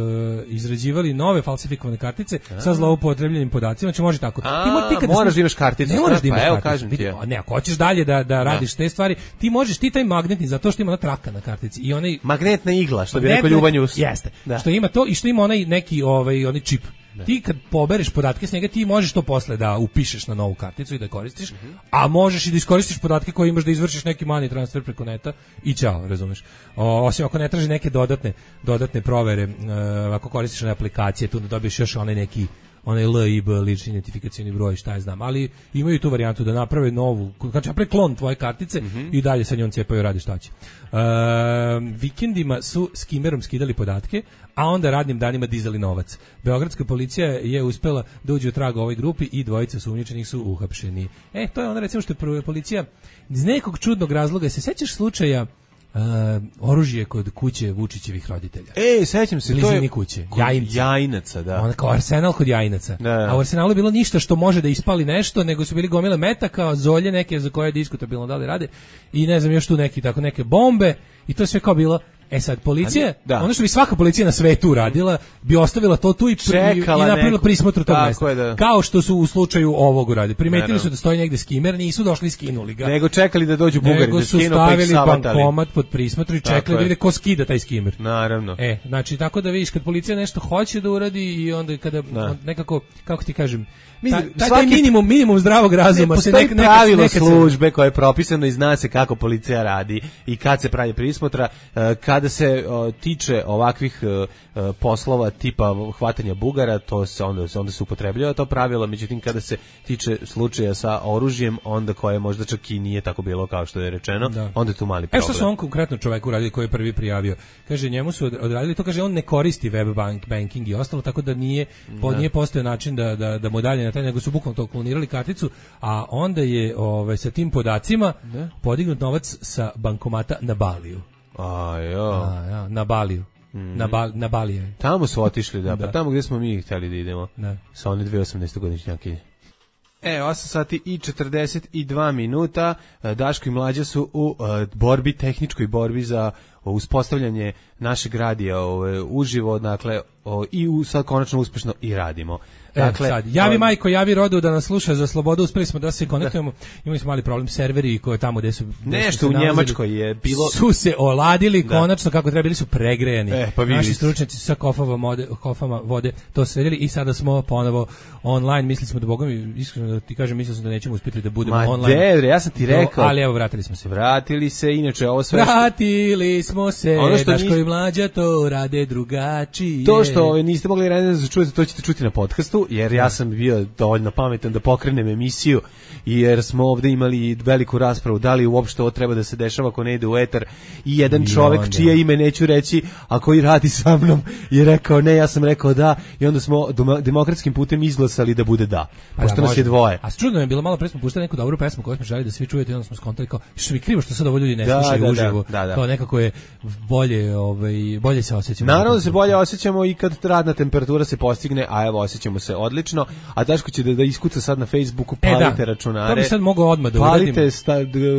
izrađivali nove falsifikovane kartice sa zloupotrebljenim podacima, znači može tako. Moraš da imaš karticu. Ne moraš da imaš karticu. Kažem ti. Ne, ako hoćeš dalje da radiš te stvari, ti možeš, ti taj magnetni, zato što ima ona traka na kartici. I onaj magnetna igla, što bi rekao Ljubanjus. Jeste. Što ima to i što ima onaj neki onaj čip. Ti kad pobereš podatke s njega, ti možeš to posle da upišeš na novu karticu i da koristiš, a možeš i da iskoristiš podatke koje imaš da izvršiš neki money transfer preko neta i ćao, razumeš. Osim ako ne traži neke dodatne provere, ako koristiš one aplikacije, tu da dobiješ još onaj LIB, lični identifikacioni broj, šta je znam, ali imaju tu varijantu da naprave novu, znači naprave klon tvoje kartice i dalje sa njom cijepaju, radi šta će. Vikendima su skimerom skidali podatke, a onda radnim danima dizali novac. Beogradska policija je uspela da uđe u trag ovoj grupi i dvojica osumnjičenih su uhapšeni. To je ono recimo što je policija iz nekog čudnog razloga, se sećaš slučaja oružje kod kuće Vučićevih roditelja. Sećam se, to je kuće. Jajinaca, da. Ona kao arsenal kod Jajinaca. Da. A u arsenalu je bilo ništa što može da ispali nešto, nego su bili gomile metaka, zolje neke za koje je diskutabilno da li rade i ne znam još tu neke bombe i to je sve kao bilo. Sad, policija, ono što bi svaka policija na svetu uradila, bi ostavila to tu i napravila prismotru tog mesta. Kao što su u slučaju ovog uradili. Primetili su da stoji negde skimer, nisu došli i skinuli ga. Nego čekali da dođu Bugari, nego su stavili bankomat pod prismotru i čekali da vide ko skida taj skimer. Naravno. Znači, tako da vidiš, kad policija nešto hoće da uradi i onda kada nekako, kako ti kažem, taj minimum zdravog razuma se postoji pravilo službe koje je propisano i zna se kako policija radi i kad se pravi prismotra, kada se tiče ovakvih poslova tipa hvatanja Bugara, to se onda se upotrebljava to pravilo, međutim kada se tiče slučaja sa oružjem, onda koje možda čak i nije tako bilo kao što je rečeno, onda je tu mali problem. Što su on konkretno čoveku uradili koji je prvi prijavio? Kaže, njemu su odradili to, kaže, on ne koristi web banking i ostalo, tako da nije postojao način da mu dalje na taj, nego su bukvalno to klonirali karticu, a onda je sa tim podacima podignut novac sa bankomata na Baliju. Na Baliju. Na Baliju. Tamo su otišli, pa tamo gdje smo mi htjeli da idemo. Sa one 2018-godišnjake. 8 sati i 42 minuta. Daško i Mlađa su u tehničkoj borbi za uspostavljanje našeg radija uživo, dakle, i sad konačno uspešno i radimo. Dakle, sad, javi majko, javi rodu da nas sluša za slobodu, uspeli smo da se konektujemo, imali smo mali problem, serveri koje tamo gde su nešto u Njemačkoj je bilo, su se oladili konačno kako treba, bili su pregrejani. Naši stručnjaci su sa kofama vode to sredili i sada smo ponovo online. Mislili smo da, bogom, iskreno da ti kažem, mislili smo da nećemo uspjeti da budemo online. Ja sam ti rekao. Ali evo, vratili smo se. Vratili se, inače ovo sve. Vratili smo se, Daško i Mlađa to rade drugačije. To što niste mogli ranije da čujete, to ćete čuti na podcastu, jer ja sam bio dovoljno pametan da pokrenem emisiju, jer smo ovdje imali veliku raspravu da li uopšte ovo treba da se dešava ako ne ide u etar, i jedan čovjek čije ime neću reći, a koji radi sa mnom, je rekao ne, ja sam rekao da, i onda smo demokratskim putem izglasali da bude da, pošto nas je dvoje. A čudno je bilo, malo pre smo puštali neku dobru pesmu koju smo želi da svi čujete i onda smo skontali kao, što mi krivo što sad ovo ljudi ne slušaju uživo, kao nekako je bolje se osjećamo. Naravno da se bolje osjećamo i kad radna temperatura se postigne, a evo osjećamo se odlično. A Daško će da iskuca sad na Facebooku, palite računare. To bi sad mogao odmah da uradim. Palite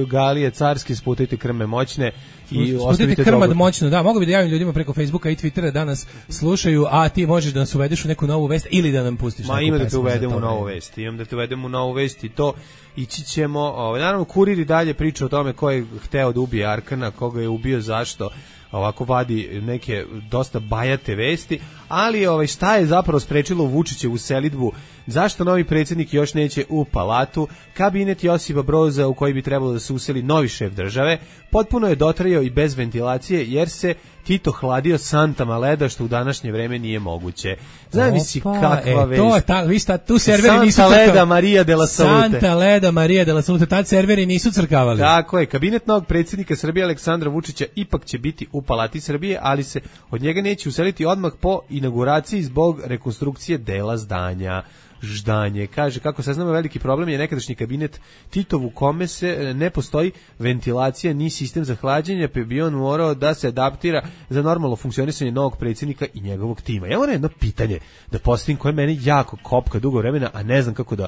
galije carske, sputajte krme moćne i ostavite krmad moćno, da, mogu bi da javim ljudima preko Facebooka i Twittera da nas slušaju, a ti možeš da nas uvedeš u neku novu vest ili da nam pustiš neku pesmu. Ima da te uvedemo u novu vest. Imam da te uvedemo u novu vest i to ići ćemo. Naravno, Kurir i dalje priča o tome ko je hteo da ubije Arkana, koga je ubio, zašto. Ovako vadi neke dosta bajate vesti, ali šta je zapravo sprečilo Vučićevu selidbu? Zašto novi predsjednik još neće u palatu? Kabinet Josipa Broza u koji bi trebalo da se useli novi šef države potpuno je dotrajao i bez ventilacije jer se Tito hladio santama leda, što u današnje vreme nije moguće. Zamisli kakva vest. To je tu serveri nisu crkavali. Santa Leda Maria de la Salute. Santa Leda Maria de la Salute, tad serveri nisu crkavali. Tako je, kabinet novog predsjednika Srbije Aleksandra Vučića ipak će biti u Palati Srbije, ali se od njega neće useliti odmah po inauguraciji zbog rekonstrukcije dela zdanja. Ždanje. Kaže, kako saznamo, veliki problem je nekadašnji kabinet Titov u kome se ne postoji ventilacija ni sistem za hlađenje, pa bi on morao da se adaptira za normalno funkcionisanje novog predsjednika i njegovog tima. Ja moram jedno pitanje da postavim koje mene jako kopka dugo vremena, a ne znam kako da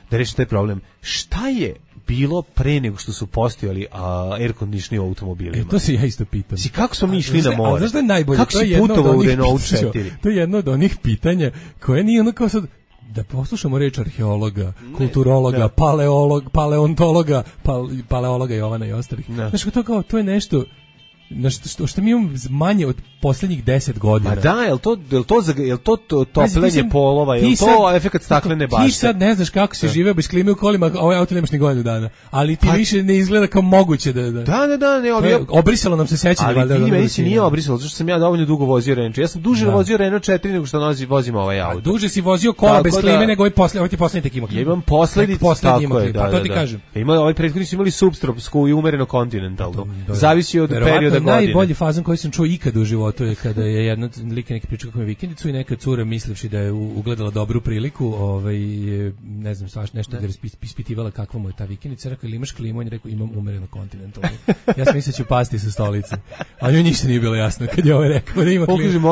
rešim taj problem. Šta je bilo pre nego što su postojali air conditioning u automobilima? To se ja isto pitam. Kako smo mi išli na more? Znaš da je najbolje? Kako si putovao u Renault 4? To je jedno od onih pitanja koje nije ono kao sad da poslušamo reč arheologa, kulturologa, paleontologa, paleologa Jovana i ostalih. Znaš, to je nešto što mi imamo manje od posljednjih 10 godina. Ma da, je li to topljenje polova, je li to efekat staklene bašte? Ti sad ne znaš kako se žive bez klime u kolima, a ovaj auto nemaš ni godinu dana. Ali ti više ne izgleda kao moguće da... Da, ne, obrisalo nam se sećanje. Ali ti meni se nije obrisalo, zato što sam ja dovoljno dugo vozio Renault. Ja sam duže vozio Renault 4 nego što vozim ovaj auto. Duže si vozio kola bez klime nego ovaj ti poslednji tek ima klimu. Ja imam poslednji, tako je, pa to ti kažem. Ovaj prethodni su imali subtropsku i umereno kontinentalnu. Zavisi od perioda godine. Najbolji fazon koji sam čuo ikad u životu je kada je jedna lika neki pričao kako je vikendicu i neka cura mislivši da je ugledala dobru priliku, ne znam, svaš nešto da je ispitivala kakva mu je ta vikendica, rekao ili imaš klimu, on je rekao imam umereno kontinentalnu. Ja sam mislio ću pasti sa stolice. A njoj ništa nije bilo jasno kad je ovaj rekao da ima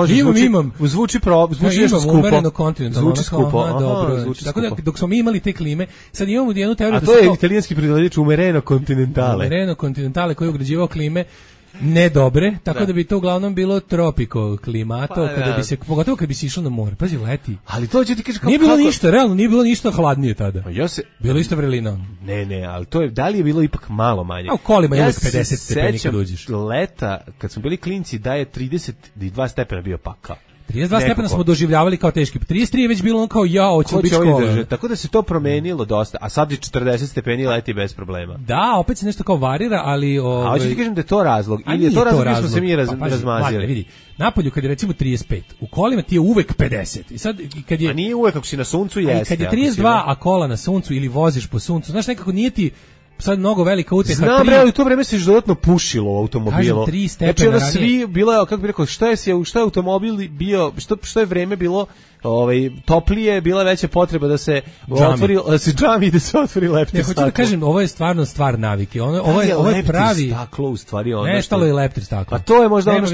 klimu. Imam. Zvuči nešto skupo. Umereno kontinentalnu. Zvuči skupo. Tako da dok smo mi imali te klime, sad imamo jednu teoriju da to je italijanski pridodavač umereno kontinentale. Umereno kontinentale koji je ugrađivao klime ne dobre, tako da bi to uglavnom bilo tropiko klimato, kada bi se, pogotovo kad bi se išlo na more. Pazi, leti. Ali to će ti kaže kako... Nije bilo ništa, realno, nije bilo ništa hladnije tada. Bilo isto vrelina. Ne, ali to je, da li je bilo ipak malo manje? A u kolima je uvijek 50 stepeni kad uđeš. Leta, kad smo bili klinci, da je 32 stepena bio pakao. 32 stepena smo doživljavali kao teški. 33 je već bilo ono kao hoće biti škola. Tako da se to promenilo dosta, a sad je 40 stepeni leti bez problema. Da, opet se nešto kao varira, ali... A hoće ti kažem da je to razlog, ili je to razlog gdje smo se mi razmazili? Vidi, napolju kad je recimo 35, u kolima ti je uvek 50. I sad, kad je, a nije uvek, ako si na suncu jeste. Kad je 32, a kola na suncu ili voziš po suncu, znaš, nekako nije ti sad mnogo velika utjeha. Znam, bre, ali u to vreme se dodatno pušilo u automobilu. Kažem, 3 stepena ranije. Svi bilo, kako bi rekao, šta je automobil bio, što je vreme bilo toplije, bila veća potreba da se otvori, da se džami i da se otvori leptir staklo. Ne, hoću da kažem, ovo je stvarno stvar navike. Ovo je pravi... staklo, u stvari. Nestalo je leptir staklo. A to je možda ono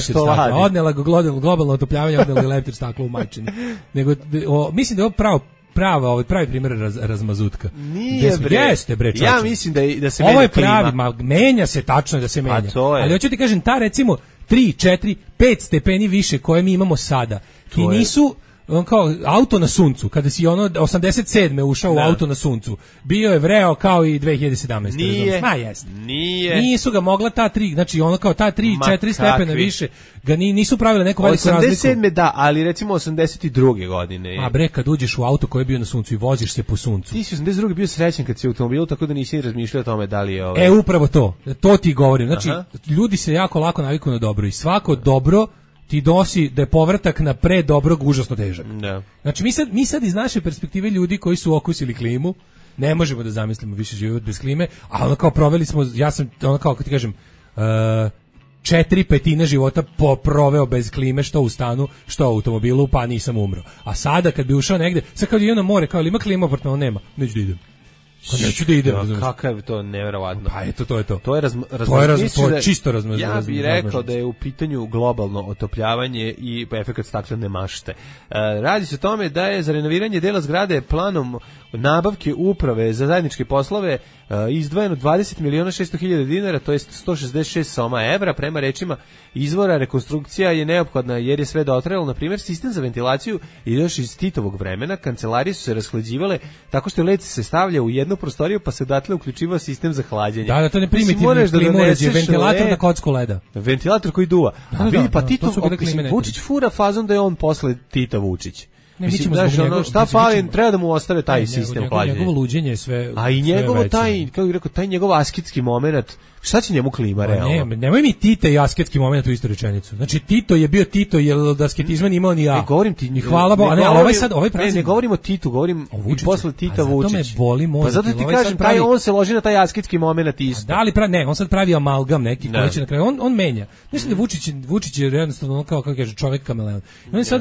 što radi. Odnela globalno otopljavanje, odnela je leptir staklo u majčini. Mislim da je ovo pravi primjer razmazutka. Nije bre. Jeste bre, čoče. Ja mislim da se menja klima. Ovo je pravi, menja se, tačno da se menja. Ali hoću ti kažem, ta recimo 3, 4, 5 stepeni više koje mi imamo sada, ti nisu kao auto na suncu, kada si 87. ušao u auto na suncu, bio je vreo kao i 2017. Nije. Nije. Nisu ga mogla ta 3, znači kao ta 3, 4 stepena više, ga nisu pravile neku veliku razliku. 87. da, ali recimo 82. godine. A bre, kad uđeš u auto koji je bio na suncu i voziš se po suncu. Ti si 82. bio srećan kad si u automobilu, tako da nisi razmišljao o tome da li je upravo to ti govorim. Znači, ljudi se jako lako naviknu na dobro i svako dobro ti dosi da je povratak na pre dobrog užasno težak. Da. Znači mi sad iz naše perspektive ljudi koji su okusili klimu, ne možemo da zamislimo više život bez klime, a ono kao proveli smo, ja sam ono kao kad ti kažem, 4/5 života proveo bez klime, što u stanu, što u automobilu, pa nisam umro. A sada kad bi ušao negde, sad kad idem na more, kao ima klima, apartman, nema, neću da idem. Neću da idem. Kakav je to neverovatno. Pa eto, to je to. To je čisto razmazivanje. Ja bih rekao da je u pitanju globalno otopljavanje i efekat staklene mašte. Radi se o tome da je za renoviranje dela zgrade planom nabavke uprave za zajedničke poslove izdvojeno 20.600.000 dinara, to je 166 soma evra. Prema rečima izvora, rekonstrukcija je neophodna jer je sve dotrajalo. Na primjer, sistem za ventilaciju i još iz Titovog vremena. Kancelarije su se rashlađivale tako što led se stavlja u jednu prostoriju pa se odatle uključivao sistem za hlađenje. Da, to ne primitivni klimoređe, ventilator na kocku leda. Ventilator koji duva. Pa Tito, Vučić fura fazon da je on posle Tita Vučić. Ne, mislim, šta fali, treba da mu ostave taj sistem hlađenja. Njegovo luđenje je sve. A i njegovo taj, kako bih rekao, taj njegov asketski momenat, šta će njemu klima realno? Nemoj mi Tita i asketski momenat u istu rečenicu. Znači Tito je bio Tito jer od asketizma nije imao ni ja. Ne govorim ti, ni hvala Bogu, ali ovaj praznik. Ne govorim o Titu, govorim i posle Tita Vučić. Zato me boli mozak. Pa zato ti kažem, taj on se loži na taj asketski momenat isto. Da li ne, on sad pravi amalgam neki koji će na kraju on menja. Mislim da Vučić je jednostavno kao kaže čovjek kameleon.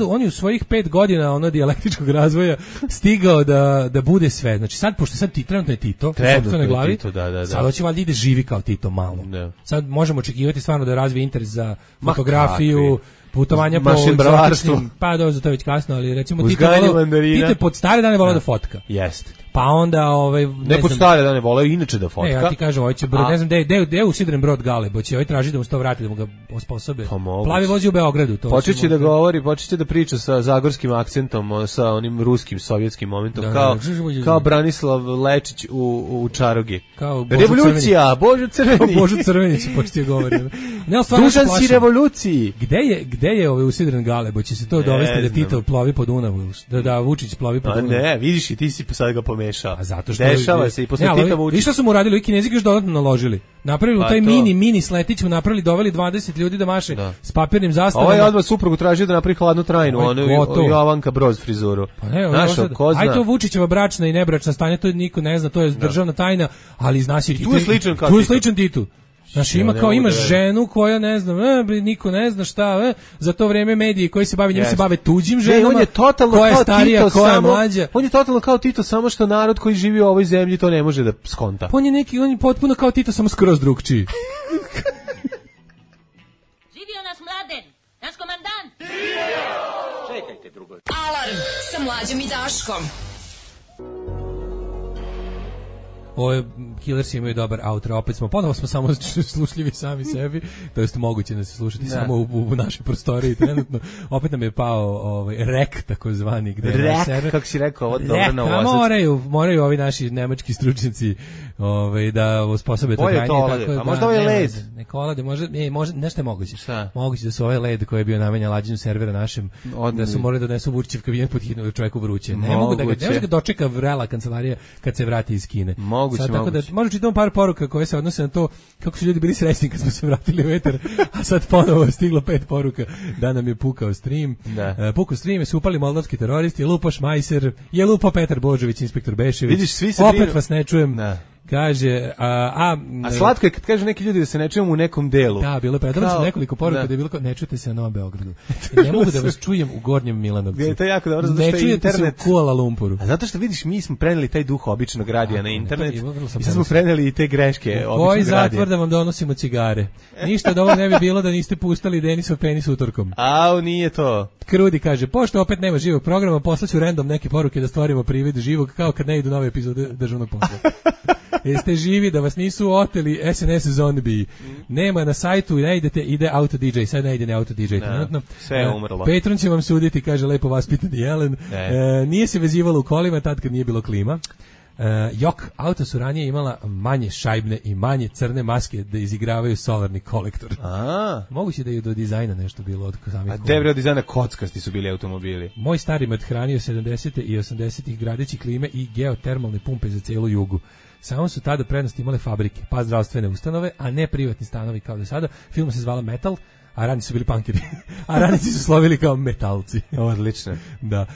On je u svojih 5 godina dijalektičkog razvoja stigao da bude sve. Znači sad pošto sad trenutno je Tito u sopstvenoj glavi, sad hoće valjda ide živi kao Tito malo. Sad možemo očekivati stvarno da razvije interes za fotografiju, putovanja po egzotičnim, pa dobro, to je već kasno, ali recimo Tito je pod stare dane volao da fotka. Jeste. Pa onda ne pod stare dane volao inače da fotka. Ja ti kažem, ovaj će ne znam gde je usidren brod Galeb, će ovaj traži da mu se to vrati, da mu ga osposobe. Plavi vozi u Beogradu, to. Počeće da govori, počeće da priča sa zagorskim akcentom, sa onim ruskim sovjetskim momentom, kao Branislav Lečić u Čarogi. Revolucija, Božo Crveni. Božo Crveni će početi govoriti. Dušan si revoluciji. Gde je ovaj usidren Galeb? Će se to dovesti da Tito plovi po Dunavu, da Vučić plovi po Dunavu? Ne, vidiš i ti si sad ga pomešao. A zato što dešava se i posle Tita Vučića. I što su mu radili, Kinezi još dodatno naložili. Napravili taj mini sletić, mu napravili, doveli 20 ljudi da maše s papirnim zastavama. Ovaj odmah suprugu tražio da napravi hladnu trajnu, Jovanka Broz frizuru. Pa ne, aj to Vučićeva bračna i nebračna stanja, to niko ne zna, to je državna tajna, ali zna se tu je sličan Titu. Znači ima ženu koja ne znam, niko ne zna šta, za to vrijeme mediji koji se bave njim se bave tuđim ženama. On je totalno koja je starija, koja je mlađa. On je totalno kao Tito, samo što narod koji živi u ovoj zemlji to ne može da skonta. On je potpuno kao Tito, samo skroz drugčiji. Živio naš Mladen, naš komandant. Čekajte drugo. Alarm sa Mlađom i Daškom. Ovo Killersi imaju dobar outro, opet ponovo smo samo slušljivi sami sebi, to jest moguće da se slušati samo u našoj prostoriji trenutno. Opet nam je pao rek takozvani, gde rek, kako si rekao, ovo dobro na ovazac. Moraju ovi naši nemački stručnjaci da usposobe to granje. A možda ovaj led? Neko olade, može, nešto je moguće. Moguće da su ovaj led koji je bio namenjen lađenju servera našem, da su morali da donesu Vučićev kabinet pod hitno čovjeku vruće. Ne mogu da ga dočeka vrela kancelarija kad se vrati iz Kine. Moguće. Možda čitamo par poruka koje se odnose na to kako su ljudi bili srećni kad smo se vratili u eter, a sad ponovo stiglo 5 poruka da nam je pukao stream. Pukao stream, je su upali moldavski teroristi, je lupo Šmajser, je lupo Petar Božović, inspektor Bešević. Vidiš, svi se opet vas ne čujem. Kaže, a slatko je kad kaže neki ljudi da se ne čujemo u nekom delu. Da, bilo je predavno nekoliko poruka da je bilo ne čujete se na Novom Beogradu. Ne mogu da vas čujem u Gornjem Milanovcu. To je jako dobro, zato što je internet u Kuala Lumpuru. A zato što vidiš, mi smo preneli taj duh običnog radija na internet i sad smo preneli i te greške običnog radija. Koji zatvor da vam donosimo cigare? Ništa od ovo ne bi bilo da niste pustali Denisov penis utorkom. Nije to. Krudi kaže, pošto opet nema živog programa, poslaću random neke poruke da stvorimo privid živog, kao kad ne idu nove epizode državnog posla. Jeste živi da vas nisu oteli SNS zombie. Nema na sajtu, ne idete, ide Auto DJ, sad ne ide ne Auto DJ trenutno. Sve je umrlo. Petron će vam suditi, kaže lepo vaspitani Jelen. Nije se vezivalo u kolima tad kad nije bilo klima. Jok, auto su ranije imala manje šajbne i manje crne maske da izigravaju solarni kolektor. Moguće da je do dizajna nešto bilo od samih. A debre od dizajna kockasti su bili automobili. Moj stari mat hranio 70. i 80. gradeći klime i geotermalne pumpe za celu jugu. Samo su tada prednost imale fabrike, pa zdravstvene ustanove, a ne privatni stanovi kao do sada. Film se zvala Metal, a radnici su bili punkeri, a radnici su slovili kao metalci. Odlično. Da.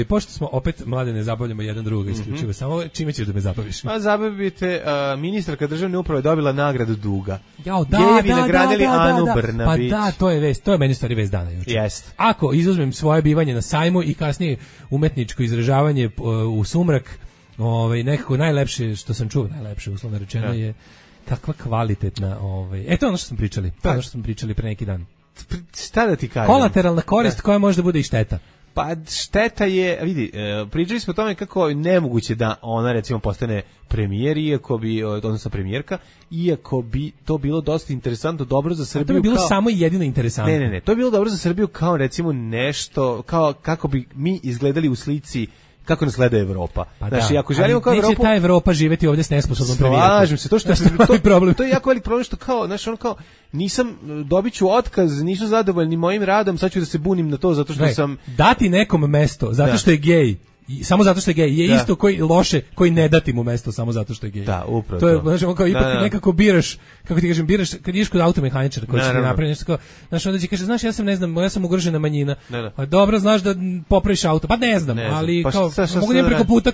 Pošto smo opet mlade ne zabavljamo jedan druga isključivo, samo čime ćeš da me zabaviš? Pa zabavite, ministarka državne uprave dobila nagradu Duga. Gejevi nagradili Anu Brnabić. Pa da, to je vest, to je meni stvari vest dana juče. Jest. Ako izuzmem svoje bivanje na sajmu i kasnije umetničko izražavanje u sumrak, nekako najlepše što sam čuo, najlepše uslovno rečeno je kakva kvalitetna, eto ono što smo pričali, ono što smo pričali pre neki dan. Šta da ti kažem? Kolateralna korist koja može da bude i šteta. Pa šteta je, vidi, pričali smo o tome kako je nemoguće da ona recimo postane premijer, odnosno premijerka, iako bi to bilo dosta interesantno, dobro za Srbiju. To bi bilo samo jedino interesantno. Ne, to je bilo dobro za Srbiju kao recimo nešto, kao kako bi mi izgledali u slici kako nas gleda Evropa. Pa znači, ako želimo kao Evropu, neće ta Evropa živeti ovdje s nesposobnom premijerkom. Slažem se, to je jako velik problem što kao, znaš, ono kao, dobit ću otkaz, nisu zadovoljni mojim radom, sad ću da se bunim na to zato što sam... Dati nekom mesto zato što je gej, samo zato što je gej, je isto koji ne dati mu mesto samo zato što je gej. Da, upravo to. Je, znači, on kao ipak nekako biraš, kako ti kažem, kad ideš kod automehaničara koji će ti napraviti nešto kao, znaš, onda će kaže, znaš, ja sam ugrožena manjina. Pa dobro, znaš da popraviš auto. Pa ne znam, ali pa kao, mogu nijem preko puta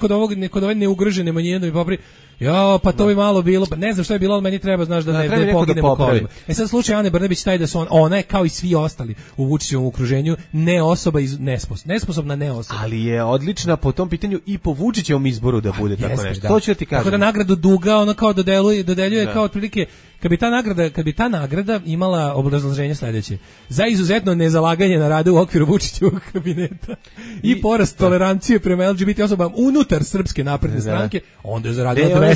kod ove neugrožene manjine da mi popravi. Ja, pa to bi malo bilo, pa ne znam što je bilo, ali meni treba, znaš, da ne poginemo u kolima. Sad slučaj Ane Brnabić taj da su ona je kao i svi ostali u Vučićevom okruženju ne osoba nesposobna ne osoba. Ali je odlična po tom pitanju i po Vučićevom izboru da bude tako nešto. Da. To ću ti kažem. Tako da nagradu Duga ona kao dodeljuje kao otprilike kad bi ta nagrada imala obrazloženje sledeće: za izuzetno nezalaganje na radu u okviru Vučićevog kabineta i porast tolerancije prema LGBT osobama unutar Srpske napredne stranke, onda je zaradila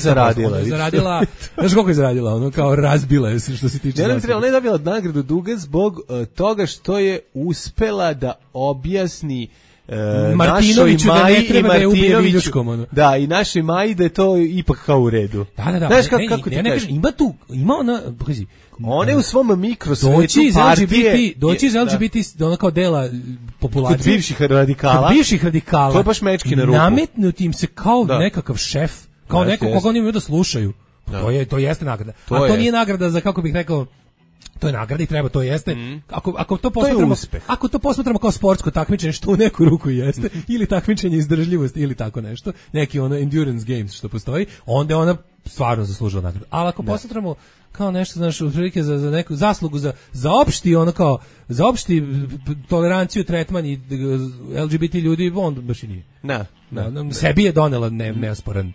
znaš koliko je zaradila, ono kao razbila je se što se tiče. Ona je dobila nagradu Duga zbog toga što je uspela da objasni Martinoviću da ne treba da je ubije viljuškom. Da, i našoj Maji da je to ipak kao u redu. Da. Znaš kako ti kažeš? Ima ona, pazi, one u svom mikrosvetu partije... Doći iz LGBT, ona kao dela populacije. Kod bivših radikala. To je baš mečki na ruku. Nametnuti im se kao nekakav šef, kao neko koga oni imaju da slušaju. To jeste nagrada. A to nije nagrada za, kako bih rekao, to je nagrada i treba, to jeste. Ako to posmatramo kao sportsko takmičenje, što u neku ruku jeste, ili takmičenje izdržljivosti ili tako nešto, neki ono endurance games što postoji, onda je ona stvarno zaslužila nagradu. Ali ako posmatramo kao nešto, znaš, otprilike za neku zaslugu za opšti, ono kao za opšti toleranciju, tretman i LGBT ljudi, on baš i nije. Sebi je donela neosporan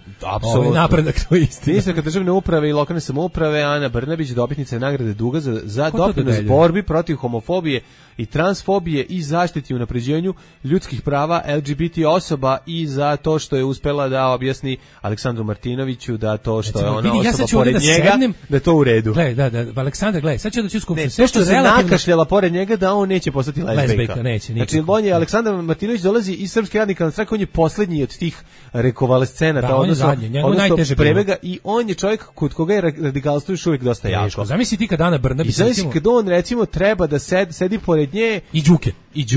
napredak, to je istina. Ministarka državne uprave i lokalne samouprave Ana Brnabić, dobitnica nagrade Duga za doprinos borbi protiv homofobije i transfobije i zaštiti i unapređenju ljudskih prava LGBT osoba i za to što je uspela da objasni Aleksandru Martinoviću da to što je ona osoba pored njega, da je to u redu. Aleksandar, sad ću da ću skupiti. Sve što se nakašljala pored njega da on neće postati lezbejka. Znači, on je, Aleksandar Martinović dolazi iz Srpske radikalne stranke, on je poslednji od tih rekovalescenata, odnosno prebega, i on je čovjek kod koga je radikalstvo još uvijek dosta jako. Zamisli ti kad Ana Brnabić... I zamisli kad on, recimo, treba da sedi pored nje... I Đuke.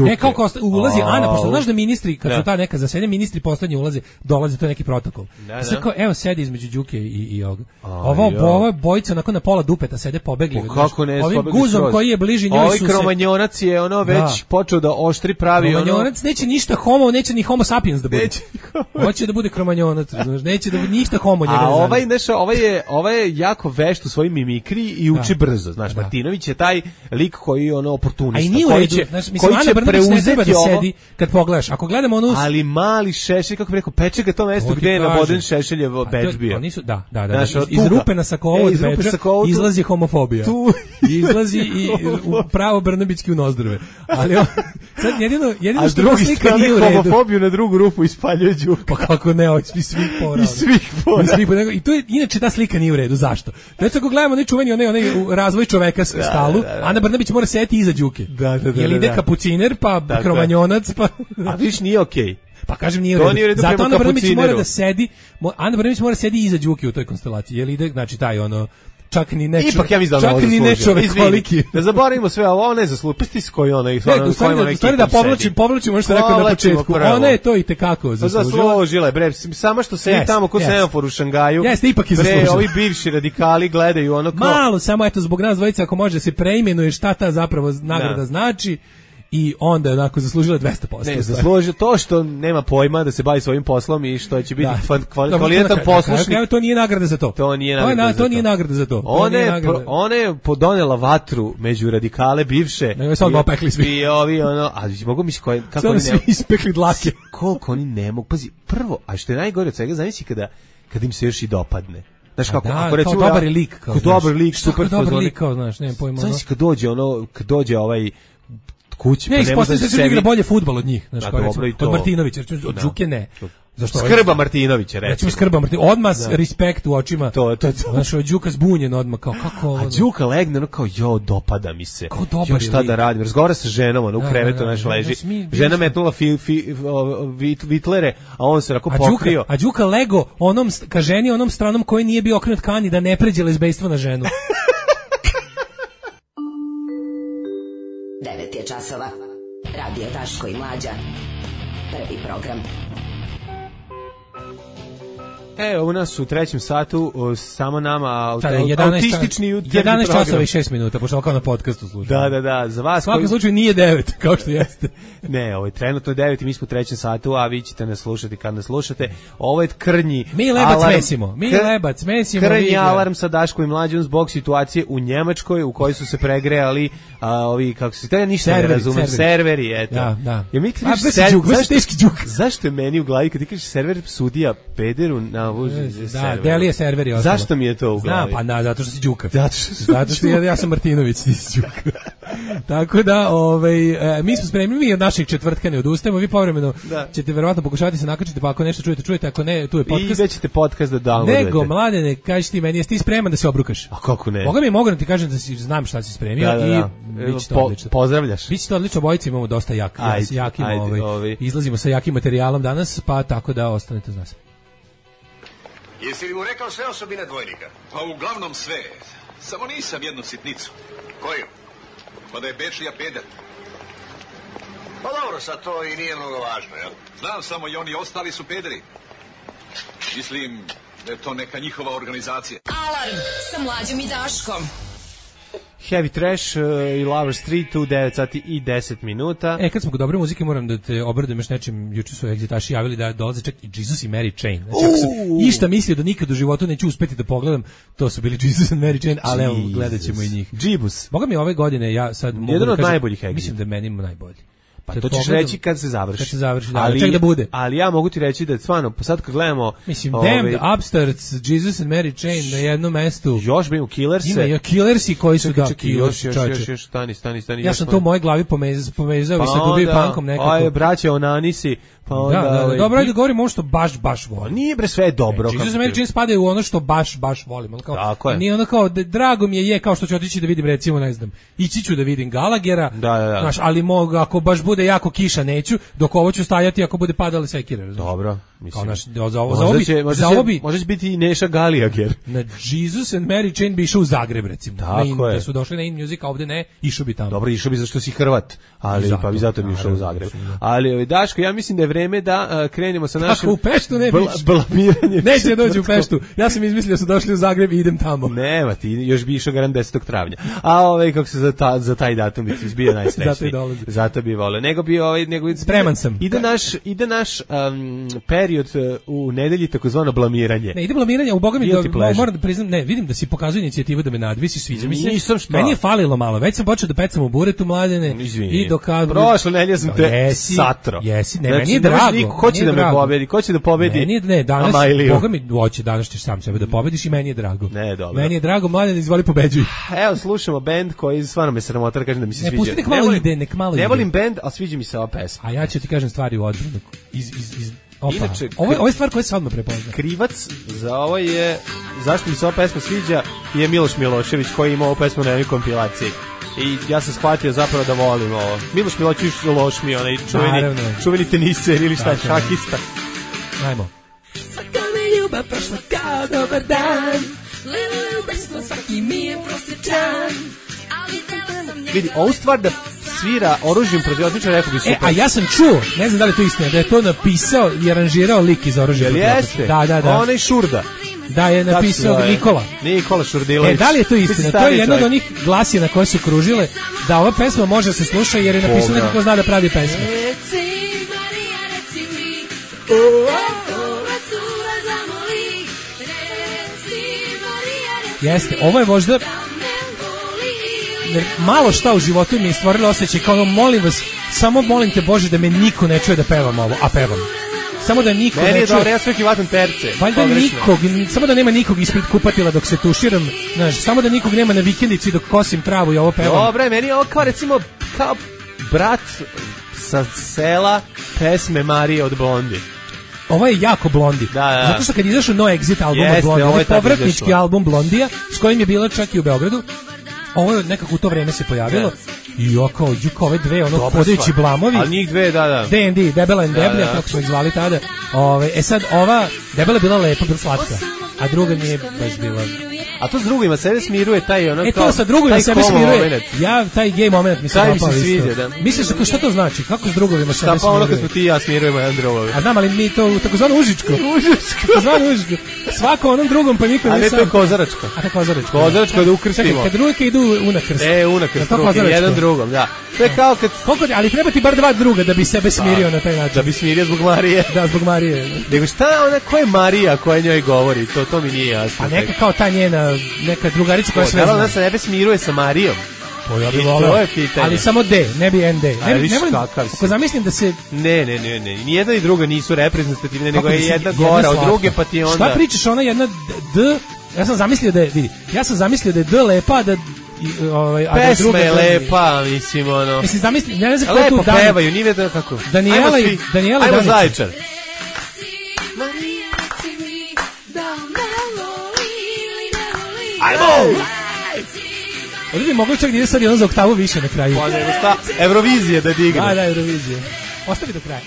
Ne, kao ulazi Ana, pošto znaš da ministri, kad su ta neka zasednja, ministri poslednji dolaze, to je neki protokol. Sad kao, evo, sedi između Đuke i ovoga. Ovo bojica onako na pola dupeta sede pobegli. Kako ne, ovim guzom koji je bliži njoj su se... Kromanjonac je ono već počeo da oštri pravi ono... Kromanjonac neće ništa homo, neće ni homo sapiens da bude. Hoće da bude kromanjonac, neće da bude ništa homo njega. A ovaj je jako vešt u svojim mimikri i uči brzo, znaš, Martinović je taj lik koji je ono oportunista. A i nije u redu, koji će preuzeti ovo. Sedi, kad pogledaš, ako gledamo onu... Ali mali Šešelj, kako bi rekao, peče ga to mesto gde je naboden Šešeljev bedž bio. Da, iz rupe na sakovu od bedža izlazi homofobija. Izlazi i pravo Brnabićki u nozdrve. Ali sad jedino što slika nije u redu. Homofobiju na drugu rupu ispaljuje Đuka. Pa kako ne, iz svih pora. I to je, inače ta slika nije u redu. Zašto? Znači ako gledamo čuveni onaj razvoj čoveka s stalu, Ana Brnabić mora sedeti iza Đuke. Jer ide kapuciner, pa kromanjonac, pa... A viš nije okej. Pa kažem nije u redu. Zato Ana Brnabić mora da sedi, Ana Brnabić mora sedi iza Đuke u toj konstelaciji. Jer ide, znači taj ono... Čak ni ne čovjek koliki. Da zaboravimo sve ovo, ona je zaslužila. Pesti koji ona ih u stvari da povlačimo što rekao na početku. Ona je to i tekako zaslužila je, bre, samo što sedi tamo ko semafor u Šangaju. Jeste, ipak je zaslužila. Bre, ovi bivši radikali gledaju ono kao... Malo, samo eto zbog nas dvojica, ako može da se preimenuje šta ta zapravo nagrada znači. i onda onako zaslužila 200%. Ne, zaslužila to što nema pojma da se bavi svojim poslom i što će biti kvalitetan poslušnik. To nije nagrada za to. To nije nagrada za to. Ona je podonela vatru među radikale bivše. Nego je sad opekli svi. I ovi, a mogu mi se kako oni ne ispekli dlake. Koliko oni ne mogu. Pazi, prvo, a što je najgore od svega, zamisli kada im se još i dopadne. Znaš kako, ako recimo kao dobar lik, kao dobar lik, super dobar kao, znaš, nemam pojma. Znaš kad dođe ovaj kući, pa ne može da se igra bolje fudbal od njih, znaš, kao recimo, od Martinovića, od Đuke ne. Zašto? Skrba Martinovića, recimo. Skrba Martinovića, odmah respekt u očima. To. Znaš, Đuka zbunjen odmah, kao kako... A Đuka legne, kao, dopada mi se. Šta da radim? Razgovara sa ženom, u krevetu, naš leži. Žena metnula vitlere, a on se rako pokrio. A Đuka lego ka ženi onom stranom koji nije bio okrenut kani da ne pređe lezbejstvo na ženu. 9 je časova. Radio Daško i Mlađa. Prvi program. U nas u trećem satu samo nama autistični 11 časova i 6 minuta, pošto kao na podcastu slušamo. Da, za vas. U svakom slučaju nije 9, kao što jeste. Ne, ovo je trenutno 9 i mi smo u trećem satu, a vi ćete nas slušati kad nas slušate. Ovo je krnji lebac mesimo. Krnji alarm sa Daškom i Mlađom zbog situacije u Njemačkoj u kojoj su se pregrejali ovi, kako se to ništa ne razumem, serveri, eto. Da. Ja mi zašto je meni u glavi kad ti kažeš server sudija pederu na Delije serveri ostalo. Zašto mi je to u glavi? Zato što si Đuka. Zato što ja sam Martinović, ti si Đuka. Tako da, mi smo spremni, mi od naših četvrtka ne odustajemo, vi povremeno ćete verovatno pokušavati se nakačiti, pa ako nešto čujete, ako ne, tu je podcast. I već ćete podcast da downloadujete. Nego, Mladene, kaži ti meni, jesi ti spreman da se obrukaš? A kako ne? Boga mi mogu da ti kažem da znam šta si spremio i biće to odlično. Pozdravljaš. Biće to odlično, obojice imamo dosta jakim, izlazimo sa jakim materijalom danas, pa tako da ostanete uz nas. Jesi li mu rekao sve osobine dvojnika? Pa uglavnom sve. Samo nisam jednu sitnicu. Koju? Pa da je Bečlija peder. Pa dobro, sad to i nije mnogo važno, jel? Znam samo i oni ostali su pederi. Mislim da je to neka njihova organizacija. Alarm sa Mlađom i Daškom. Heavy Trash i Lover Street u 9 sati i 10 minuta. Kad smo kod dobre muzike, moram da te obradujem još nečim. Juče su egzitaši javili da dolaze čak i Jesus i Mary Chain. Znači, ako sam išta mislio da nikad u životu neću uspeti da pogledam, to su bili Jesus and Mary Chain, ali evo, gledat ćemo i njih. Džibus. Boga mi ove godine, ja sad mogu jedan da od kažem, najboljih egzita. mislim da je meni najbolji. Pa to ćeš reći kad se završi. Kad se završi, da, ček da bude. Ali ja mogu ti reći da stvarno, sad kad gledamo... Mislim, Damned, Upstarts, Jesus and Mary Chain na jednom mestu. Još bi u Killerse. Ima i Killersi koji su još, stani. Ja sam to u mojoj glavi povezao i sa Dubi Punkom nekako. Aj, braće Onanisi, pa onda... Da, dobro, ajde govorimo ono što baš volim. Nije bre sve dobro. Jesus and Mary Chain spadaju u ono što baš volim. Tako je. Nije ono kao, drago mi je kao što ću otići da vidim, recimo, ne znam, ići ću da vidim Gallaghera, znaš, ali ako baš bude jako kiša neću, dok ovo ću stajati ako bude padale sekire. Dobro, mislim. Možda će biti i Neša Gallagher. Na Jesus and Mary Chain bi išao u Zagreb, recimo. Tako je. Da su došli na In Music, a ovde ne, išao bi tamo. Dobro, išao bi zašto si Hrvat, ali pa bi zato bi išao u Zagreb. Ali Daško, ja mislim da je vreme da krenemo sa našim... Tako, u Peštu ne biš. Blamiranjem. Neće doći u Peštu. Ja sam izmislio da su došli u Zagreb i idem tamo. Nema ti, još bi išao garant 10. travnja. A kako se za taj datum bi izbio najsrećniji. Zato bi voleo. Spreman sam. Ide naš period u nedelji takozvano blamiranje. Ne, ide blamiranje, u Boga mi moram da priznam, ne, vidim da si pokazuje inicijativu da me nadvisi, sviđa mi se. Meni je falilo malo, već sam počeo da pecam u buretu, Mladene. I dok prošle nedelje sam te satro. Jesi, ne, meni je drago. Ko će da me pobedi? Ko će da pobedi? Ne, danas, Boga mi hoće, danas ćeš sam sebe da pobediš i meni je drago. Ne, dobro. Meni je drago, Mladene, izvoli pobeđuj. Evo, slušamo bend koji stvarno me sramota, kažem da mi se sviđa. Ne, pusti nek malo ide. Ne volim bend, al sviđa mi se ova pesma. A ja ću ti kažem stvari u odbranu. Inače, ovo je stvar koja se odmah prepozna. Krivac za ovo je, zašto mi se ova pesma sviđa, je Miloš Milošević koji ima ovu pesmu na jednoj kompilaciji. I ja sam shvatio zapravo da volim ovo. Miloš Milošević loš mi, onaj čuveni teniser ili šta, šahista. Ajmo. Svaka mi ljubav prošla kao dobar dan, ljubavno svaki mi je prosječan. Vidi, ovu stvar da svira oružjem protiv otmičara, rekao bi super. A ja sam čuo, ne znam da li je to istina, da je to napisao i aranžirao lik iz oružja protiv otmičara. Jeste? Da. Onaj Šurda. da je napisao Nikola Šurdilović. Da li je to istina? To je jedna od onih glasina koje su kružile da ova pesma može se sluša jer je napisao neko ko zna da pravi pesme. Jeste, ovo je možda malo šta u životu mi je stvorilo osjećaj kao ono, molim vas, samo molim te Bože da me niko ne čuje da pevam ovo, a pevam. Samo da niko ne čuje. Dobro, ja sve kivatam terce. Valjda nikog, samo da nema nikog ispred kupatila dok se tuširam, znaš, samo da nikog nema na vikendici dok kosim travu i ovo pevam. Dobre, meni je ovo kao recimo, kao brat sa sela pesme Marije od Blondi. Ovo je jako Blondi. Da. Zato što kad izašao No Exit album od Blondi, ovo je povratnički album Blondija, s kojim je bila čak i u Beogradu, ovo je nekako u to vreme se pojavilo. I kao ove dve, ono, hodajući blamovi. Ali njih dve, da. D&D, Debela and Deblja, kako smo ih zvali tada. Sad ova, Debela je bila lepa, bila slatka, a druga nije baš bila... A to s drugima sebe smiruje taj ono kao... to sa drugovima sebe smiruje. Ja, taj gay moment mi se dopao isto. Taj mi se sviđa, da. Misliš, šta to znači? Kako s drugovima sebe smiruje? Šta pa ono kad smo ti i ja smirujemo jedan drugovi? A znam, ali mi to takozvano užičko. Takozvano užičko. Svako onom drugom, pa niko ne sam. A ne, to je kozaračko. A to kozaračko. Kozaračko da ukrstimo. Čekaj, kad drugike idu unakrst. Unakrst, jedan drugom, da. To je kao kad... Ali treba ti bar dva druga da bi sebe smirio na taj način. Da bi smirio zbog Marije. Da, zbog Marije. Nego šta ona, ko je Marija koja njoj govori? To mi nije jasno. A neka kao ta njena, neka drugarica koja sve zna. Ona se nebe smiruje sa Marijom. Ja bih voleo, ali samo D, ne bi ND. Ako zamislim da se... Ne. Nijedna i druga nisu reprezentativne, nego je jedna gora od druge, pa ti onda... Šta pričaš, ona jedna D... Ja sam zamislio da je D lepa, a da... Pesma je lepa, mislim, ono... Mislim, zamislim, ja ne znam kako tu Dan... Lepo pevaju, nije vedno kako... Daniela i Danica. Ajmo Zaječar. Ajmo! Ovdje bi mogli čak da ide sad jedno za oktavu više na kraju. Pa nego šta? Eurovizije da digne. Da, Eurovizije. Ostavi do kraja.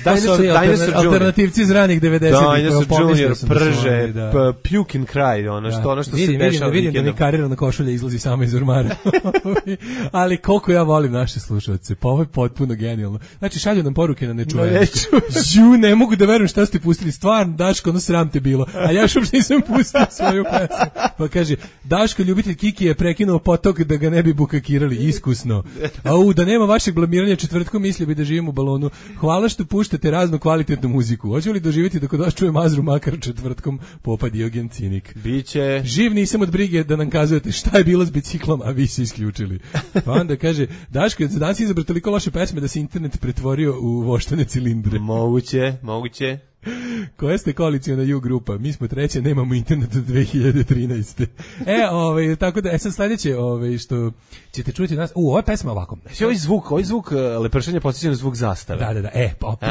Dinosaur alternativci iz ranih 90-ih. Dinosaur Junior prže, puke and cry, ono što se dešava. Vidim da mi karirana košulja izlazi samo iz ormara. Ali koliko ja volim naše slušalce, pa ovo je potpuno genijalno. Znači, šalju nam poruke na nečuje. Ne mogu da verujem šta ste pustili, stvarno, Daško, ono sram te bilo. A ja još uopšte nisam pustio svoju pesmu. Pa kaže, Daško, ljubitelj Kiki je prekinuo potok da ga ne bi bukakirali, iskusno. Da nema vašeg blamiranja četvrtkom, mislio bi da živim u balonu. Hvala što puštate raznu kvalitetnu muziku. Hoće li doživjeti da kod vas čuje Mazru makar četvrtkom popa Diogen Cinik? Biće. Živ nisam od brige da nam kazujete šta je bilo s biciklom, a vi se isključili. Pa onda kaže, Daško, je danas izabra toliko loše pesme da se internet pretvorio u voštane cilindre. Moguće. Koja ste koaliciona U grupa? Mi smo treće, nemamo internet od 2013. Tako da, sad sledeće, što ćete čuti nas, ova pesma ovako. Ovaj zvuk lepršanja podsjeća na zvuk zastave. Da,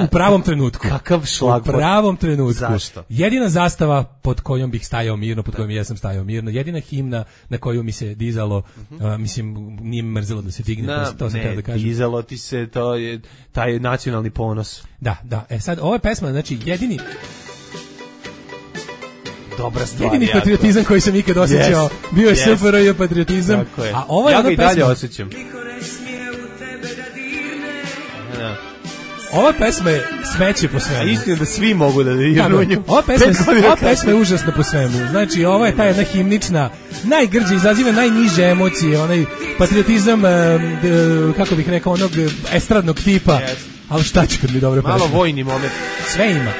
u pravom trenutku. Kakav šlag. U pravom trenutku. Zašto? Jedina zastava pod kojom bih stajao mirno, pod kojom jesam stajao mirno, jedina himna na koju mi se dizalo, mislim, nije mrzelo da se digne, to sam htio da kažem. Dizalo ti se, to je taj nacionalni ponos. Da. Sad, ova pesma, znači, jedini dobra stvar. Jedini patriotizam koji sam ikad osjećao bio je SFRJ patriotizam. A ovo je ja ga i dalje osjećam. Ova pesma je smeće po svemu. Istina da svi mogu da dirnu nju. Ova pesma je užasna po svemu. Znači, ovo je ta jedna himnična, najgrđe, izaziva najniže emocije, onaj patriotizam, kako bih rekao, onog estradnog tipa. Ali šta će kad mi dobro pesma? Malo vojni moment. Sve ima.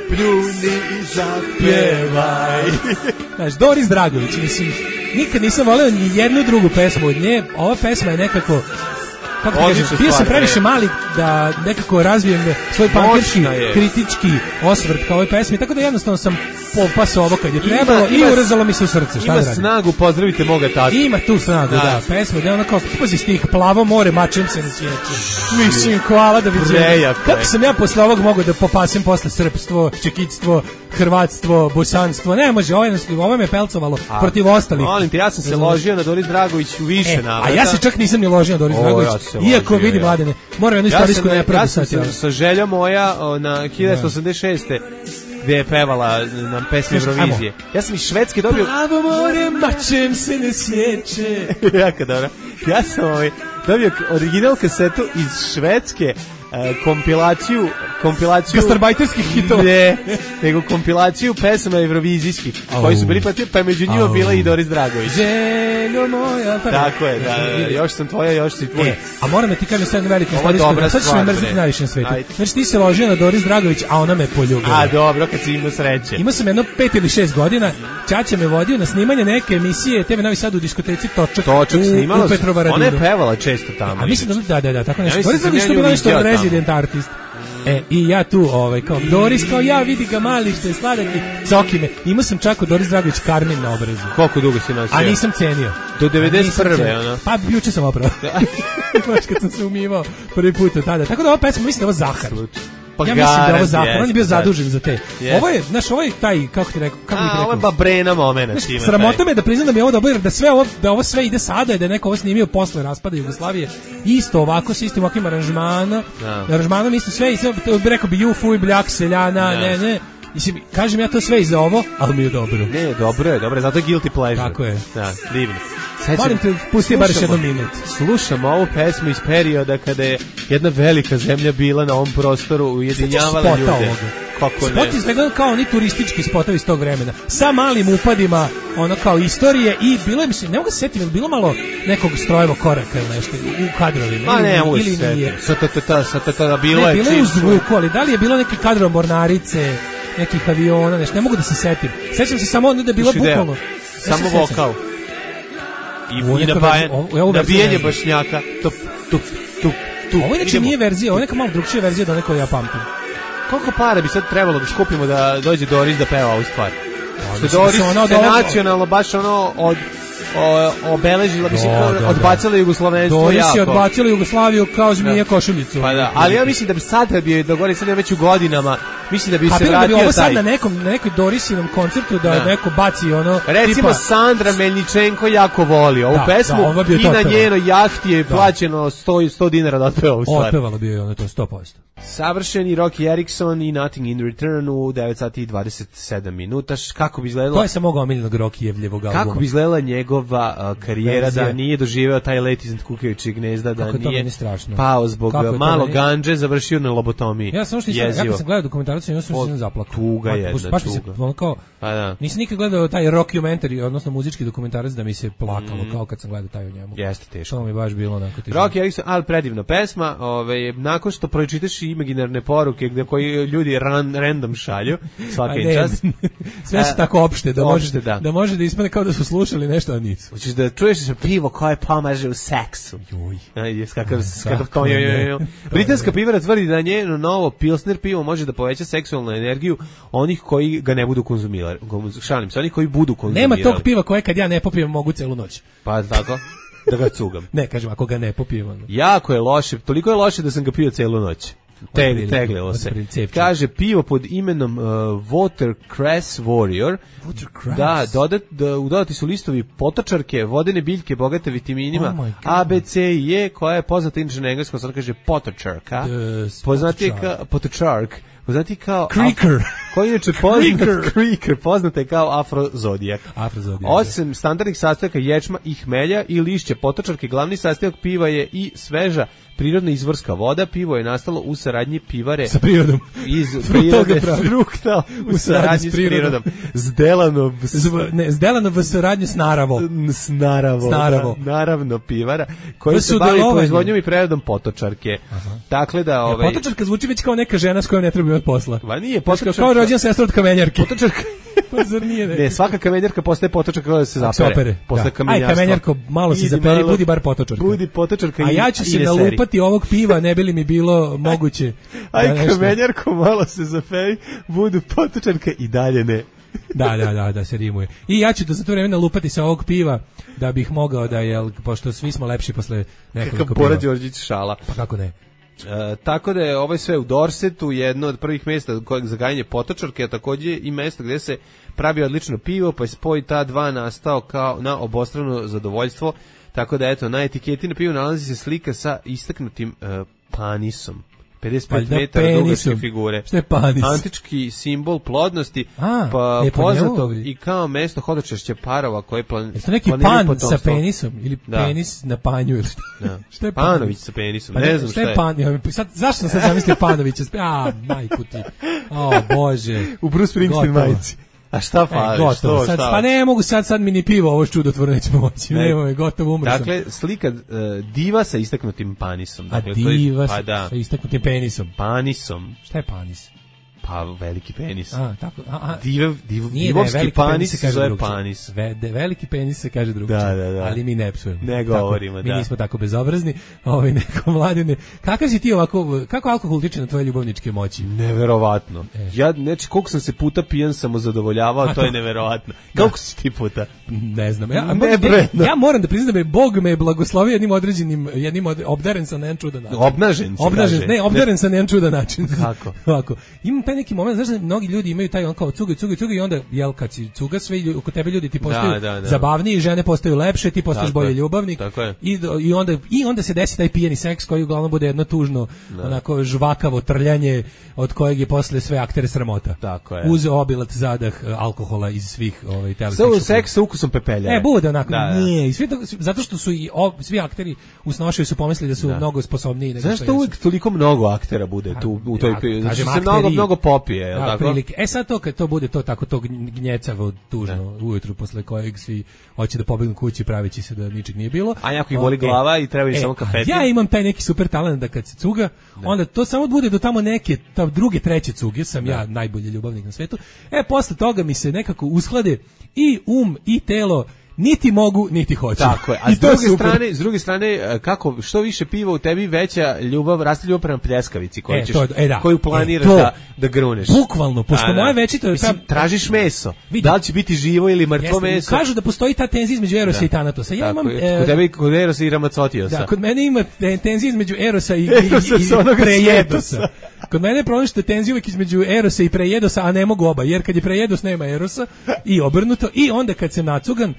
Pljuni i zapjevaj. Znaš, Doris Dragović, mislim, nikad nisam voleo ni jednu drugu pesmu od nje. Ova pesma je nekako, kako ti kažem, bio sam previše mali da nekako razvijem svoj pankerski, kritički osvrt kao ovoj pesmi, tako da jednostavno sam popasao ovo kad je trebalo i urezalo mi se u srce. Šta ima snagu, pozdravite moga tatu. Ima tu snagu, da, pesma, da je ono kao, pazi stih, plavo more, mačem se ne sjeće. Mislim, hvala da vidim. Kako sam ja posle ovog mogao da popasim posle srpstvo, čekitstvo, hrvatstvo, bosanstvo, ne može, ovo me pelcovalo protiv ostalih. Molim te, ja sam se ložio na Doris Dragović u više navrata. A ja se čak nisam ni ložio na Doris Dragović, iako vidi Mladene, moram jednu istorijsku nepravdu sad. Ja sam sa željom moja na 1986. gdje je pevala na pesmi Eurovizije. Ja sam iz Švedske dobio... Plavo more, mačem se ne sjeće. Jako dobro. Ja sam dobio original kasetu iz Švedske, kompilaciju kompilaciju gastarbajterskih hitova. Ne, nego kompilaciju pesama evrovizijskih koji su bili pa među njima bila i Doris Dragović. Željo moja. Tako je, da, još sam tvoja, još si tvoj. A moram da ti kažem sad veliku stvar, sad ćeš me mrziti najviše na svetu. Znači ti se ložio na Doris Dragović, a ona me poljubila. A dobro, kad si imao sreće. Imao sam jedno 5 ili 6 godina, ćaća me vodio na snimanje neke emisije TV Novi Sad u diskoteci Točak snimala u Petrovaradinu. Ona je pevala često tamo. A mislim da, tako nešto. Doris Dragović to bila nešto od resident artist. I ja tu, kao Doris, kao ja, vidi ga mali što je sladak i coki me. Imao sam čak od Doris Dragović Karmin na obrazu. Koliko dugo si nosio? A nisam cenio. Do 91. Ona. Pa juče sam opravo. Baš kad sam se umivao prvi put od tada. Tako da ova pesma, mislim da je ovo Zahar. Pa ja mislim da je ovo Zahar, on je bio zadužen za te. Ovo je, znaš, ovo je taj, kako ti rekao, ovo je babrena momena. Sramota me da priznam da mi je ovo dobro, jer da ovo sve ide sada i da je neko ovo snimio posle raspada Jugoslavije, isto ovako, s istim ovakvim aranžmanom, isto sve, i sve, rekao bi Jufu i Bljak Seljana, ne. Mislim, kažem ja to sve i za ovo, ali mi je dobro. Ne, dobro je, zato je guilty pleasure. Tako je. Da, divno. Molim te, pusti bar još jednu minut. Slušamo ovu pesmu iz perioda kada je jedna velika zemlja bila na ovom prostoru, ujedinjavala ljude. Kako ne? Spot izgledao kao oni turistički spotovi iz tog vremena. Sa malim upadima, ono kao istorije i bilo je, mislim, ne mogu se setiti, bilo malo nekog strojevog koraka ili nešto u kadrovima. Ne mogu se setiti. Bilo je u zvuku, ali da li je bilo neke kadrove mornarice, nekih aviona, nešto, ne mogu da se setim. Sećam se samo da je bilo bukvalno. Samo vokal. I nabijanje bašnjaka. Tup. Ovo inače nije verzija, ovo je neka malo drugčija verzija do nekoj ja pamtim. Koliko para bi sad trebalo da skupimo da dođe Doris da peva ovu stvar? Što Doris se nacionalno baš obeležila, odbacila Jugoslovenstvo jako. Doris je odbacila Jugoslaviju kao zmija košuljicu. Pa da, ali ja mislim da bi sad kad bi dogori sad već u godinama, mislim da bi se vratio taj. Ovo sad na nekoj Dorisinom koncertu da neko baci ono. Recimo Sandra Melničenko jako voli ovu pesmu i na njenoj jahti je plaćeno 100 dinara da otpeva ovu stvar. Otpevalo bi je ono to 100%. Savršeni Rocky Erickson i Nothing in Return u 9 sati i 27 minuta. Kako bi izgledalo? To je samo mogao omiljenog Rockijevljevog albuma. Kako bi izgledala njegova karijera da nije doživeo taj let iznad kukavičjeg gnezda, da nije pao zbog malo ganđe, završio na lobotomiji. Ja sam kad sam gledao dokumentarac, ja sam zaplakao. Tuga jedna, baš tuga. Nisam nikad gledao taj rockumentary, odnosno muzički dokumentarac da mi se plakalo, kao kad sam gledao taj o njemu. Jeste teško. To mi baš bilo onako teško. Rocky Erickson, ali predivna pesma, nakon što pročitaš imaginarne poruke gdje koji ljudi random šalju svaka čast. Sve su tako opšte da može da ispadne kao da su slušali nešto, a nisu. Hoćeš da čuješ pivo koje pomaže u seksu. Britanska pivara tvrdi da njeno novo Pilsner pivo može da poveća seksualnu energiju onih koji ga ne budu konzumirali. Šalim se, onih koji budu konzumirali. Nema tog piva koje kad ja ne popijem mogu celu noć. Pa tako? Da ga cugam. Ne, kažem, ako ga ne popijem. Jako je loše, toliko je loše da sam ga pio celu noć. Teglilo se. Kaže pivo pod imenom Watercress Warrior. Da, dodati su listovi potočarke, vodene biljke bogate vitaminima A, B, C i E, koja je poznata inače na engleskom, sad kaže potočarka. Poznati kao potočark. Poznati kao Creeker. Koji inače poznat je kao afrozodijak. Osim standardnih sastojaka ječma i hmelja i lišća potočarke, glavni sastojak piva je i sveža prirodna izvorska voda. Pivo je nastalo u saradnji pivare sa prirodom. Iz prirode frukta u saradnji s prirodom. Zdelano v saradnji s Naravo. Naravno pivara koji se bavi proizvodnjom i preradom potočarke. Dakle da potočarka zvuči već kao neka žena s kojom ne treba imati posla. Pa nije potočarka. Kao rođena sestra od kamenjarke. Potočarka. Pa zar nije? Ne, svaka kamenjarka postaje potočarka kada se zapere. Posle kamenjarstva. Aj kamenjarko, malo se zaperi, budi bar potočarka. Budi potočarka. A ja ću se nalupati ovog piva, ne bi li mi bilo moguće. Aj kamenjarko, malo se zaperi, budu potočarka i dalje ne. Da se rimuje. I ja ću za to vreme nalupati sa ovog piva da bih mogao da, pošto svi smo lepši posle nekoliko piva. Bora Đorđić šala. Pa kako ne? Tako da je ovo sve u Dorsetu, jedno od prvih mjesta za gajanje potočarke, a također i mjesto gdje se pravi odlično pivo, pa je spoj ta dva nastao kao na obostrano zadovoljstvo. Tako da eto, na etiketi na pivu nalazi se slika sa istaknutim panisom. 55 metara dugačke figure. Šta je panis? Antički simbol plodnosti, pa poznato i kao mesto hodočašća parova koje planiraju potomstvo. Jeste neki pan sa penisom ili penis na panju ili šta je Panović sa penisom, ne znam šta je. Zašto sam sad zamislio Panovića? Majku ti. O, Bože. U Bruce Springsteen majici. A šta fali? Gotovo. Pa ne mogu sad mi ni pivo, ovo čudotvorno nećemo moći. Nema je, gotovo, umro sam. Dakle, slika diva sa istaknutim panisom. Dakle, diva sa istaknutim penisom. Panisom. Šta je panis? Pa veliki penis. Tako. Divovski panis se zove panis. Veliki penis se kaže drugčije. Da. Ali mi ne psujemo. Ne govorimo, Mi nismo tako bezobrazni. Neko mladine. Kakav si ti ovako, kako alkohol utiče na tvoje ljubavničke moći? Neverovatno. Ja, znači, koliko sam se puta pijan samozadovoljavao, to je neverovatno. Koliko si ti puta? Ne znam. Ja moram da priznam da Bog me blagoslovio jednim obdaren sam na jedan čudan način. Obdaren sam na jedan čudan način. Kako? Ovako. Imam taj neki moment, znaš da mnogi ljudi imaju taj on kao cuga i onda, jel, kad si cuga, sve oko tebe ljudi ti postaju zabavniji, žene postaju lepše, ti postaješ bolji ljubavnik i onda se desi taj pijeni seks koji uglavnom bude jedno tužno, onako žvakavo trljanje od kojeg je posle sve aktere sramota. Tako je. Uz obilat zadah alkohola iz svih televizijskih šupova. Seks sa ukusom pepeljare. Bude onako, nije. I zato što su i svi akteri u Snošaju su pomislili da su mnogo sposobniji. Zašto uvijek toliko mnogo aktera bude tu u toj mnogo popije, je li tako? Prilike. Sad to kad to bude to tako to gnjecavo tužno ujutru posle kojeg svi hoće da pobegnu kući pravići se da ničeg nije bilo. A jako ih boli glava i treba im samo kafetin. Ja imam taj neki super talent da kad se cuga, onda to samo bude do tamo neke druge, treće cuge, sam ja najbolji ljubavnik na svetu. Posle toga mi se nekako usklade i i telo. Niti mogu, niti hoću. Tako je. A s druge strane, kako što više piva u tebi, veća ljubav, raste ljubav prema pljeskavici koju planiraš da gruneš. Bukvalno, pošto moje večito je tražiš meso. Da li će biti živo ili mrtvo meso? Kažu da postoji ta tenzija između Erosa i Tanatosa. Ja imam kod tebe kod Erosa i Ramacotiosa. Da, kod mene ima tenzija između Erosa i Prejedosa. Kod mene je problem što je tenzija uvijek između Erosa i Prejedosa, a ne mogu oba, jer kad je Prejedos nema Erosa i obrnuto, i onda kad sam nacugan,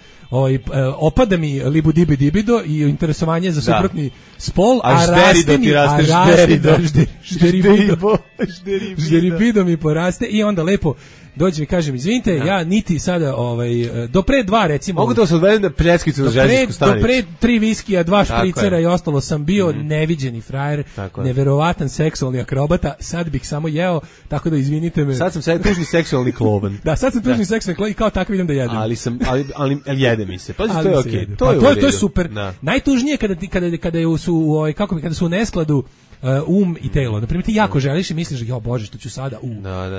opada mi libido i interesovanje za suprotni spol, a žderibido mi poraste i onda lepo dođe mi kažem, izvinite, ja niti sada do pre 2 recimo. Mogu da se odvedem na pljeskicu na željezničku stanicu. Do pre 3 viskija, 2 špricera i ostalo sam bio neviđeni frajer, neverovatan seksualni akrobata, sad bih samo jeo, tako da izvinite me. Sad sam tužni seksualni kloban. Da, sad sam tužni seksualni kloban i kao tako idem da jedem. Ali jede mi se. Pazi, to je okej. To je super. Najtužnije kada su u neskladu i telo. Na primjer, ti jako želiš i misliš, Bože, što ću sada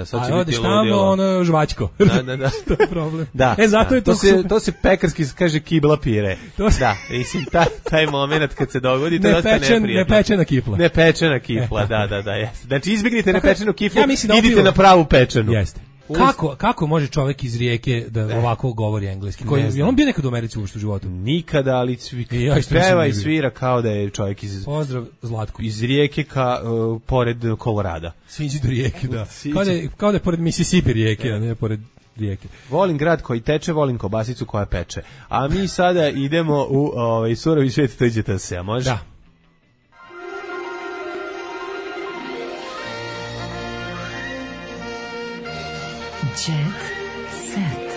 sad će a odeš tamo, žvačko. Da. To je problem. Zato je to se pekarski kaže kibla pire. Da, mislim, taj moment kad se dogodi, to je dosta neprijatno. Nepečena kifla. Nepečena kifla, da, jeste. Znači, izbjegnite nepečenu kiflu, idite na pravu pečenu. Jeste. Kako može čovjek iz Rijeke da ovako govori engleski? Je on bio nekad u Americi u životu? Nikada, ali peva i svira kao da je čovjek iz... Pozdrav Zlatku. Iz Rijeke pored Kolorada. Sviđi do Rijeke, da. Kao da je pored Mississippi Rijeke, a ne pored Rijeke. Volim grad koji teče, volim kobasicu koja peče. A mi sada idemo u surovi svijet, to iđete se, a može? Da. Jet set.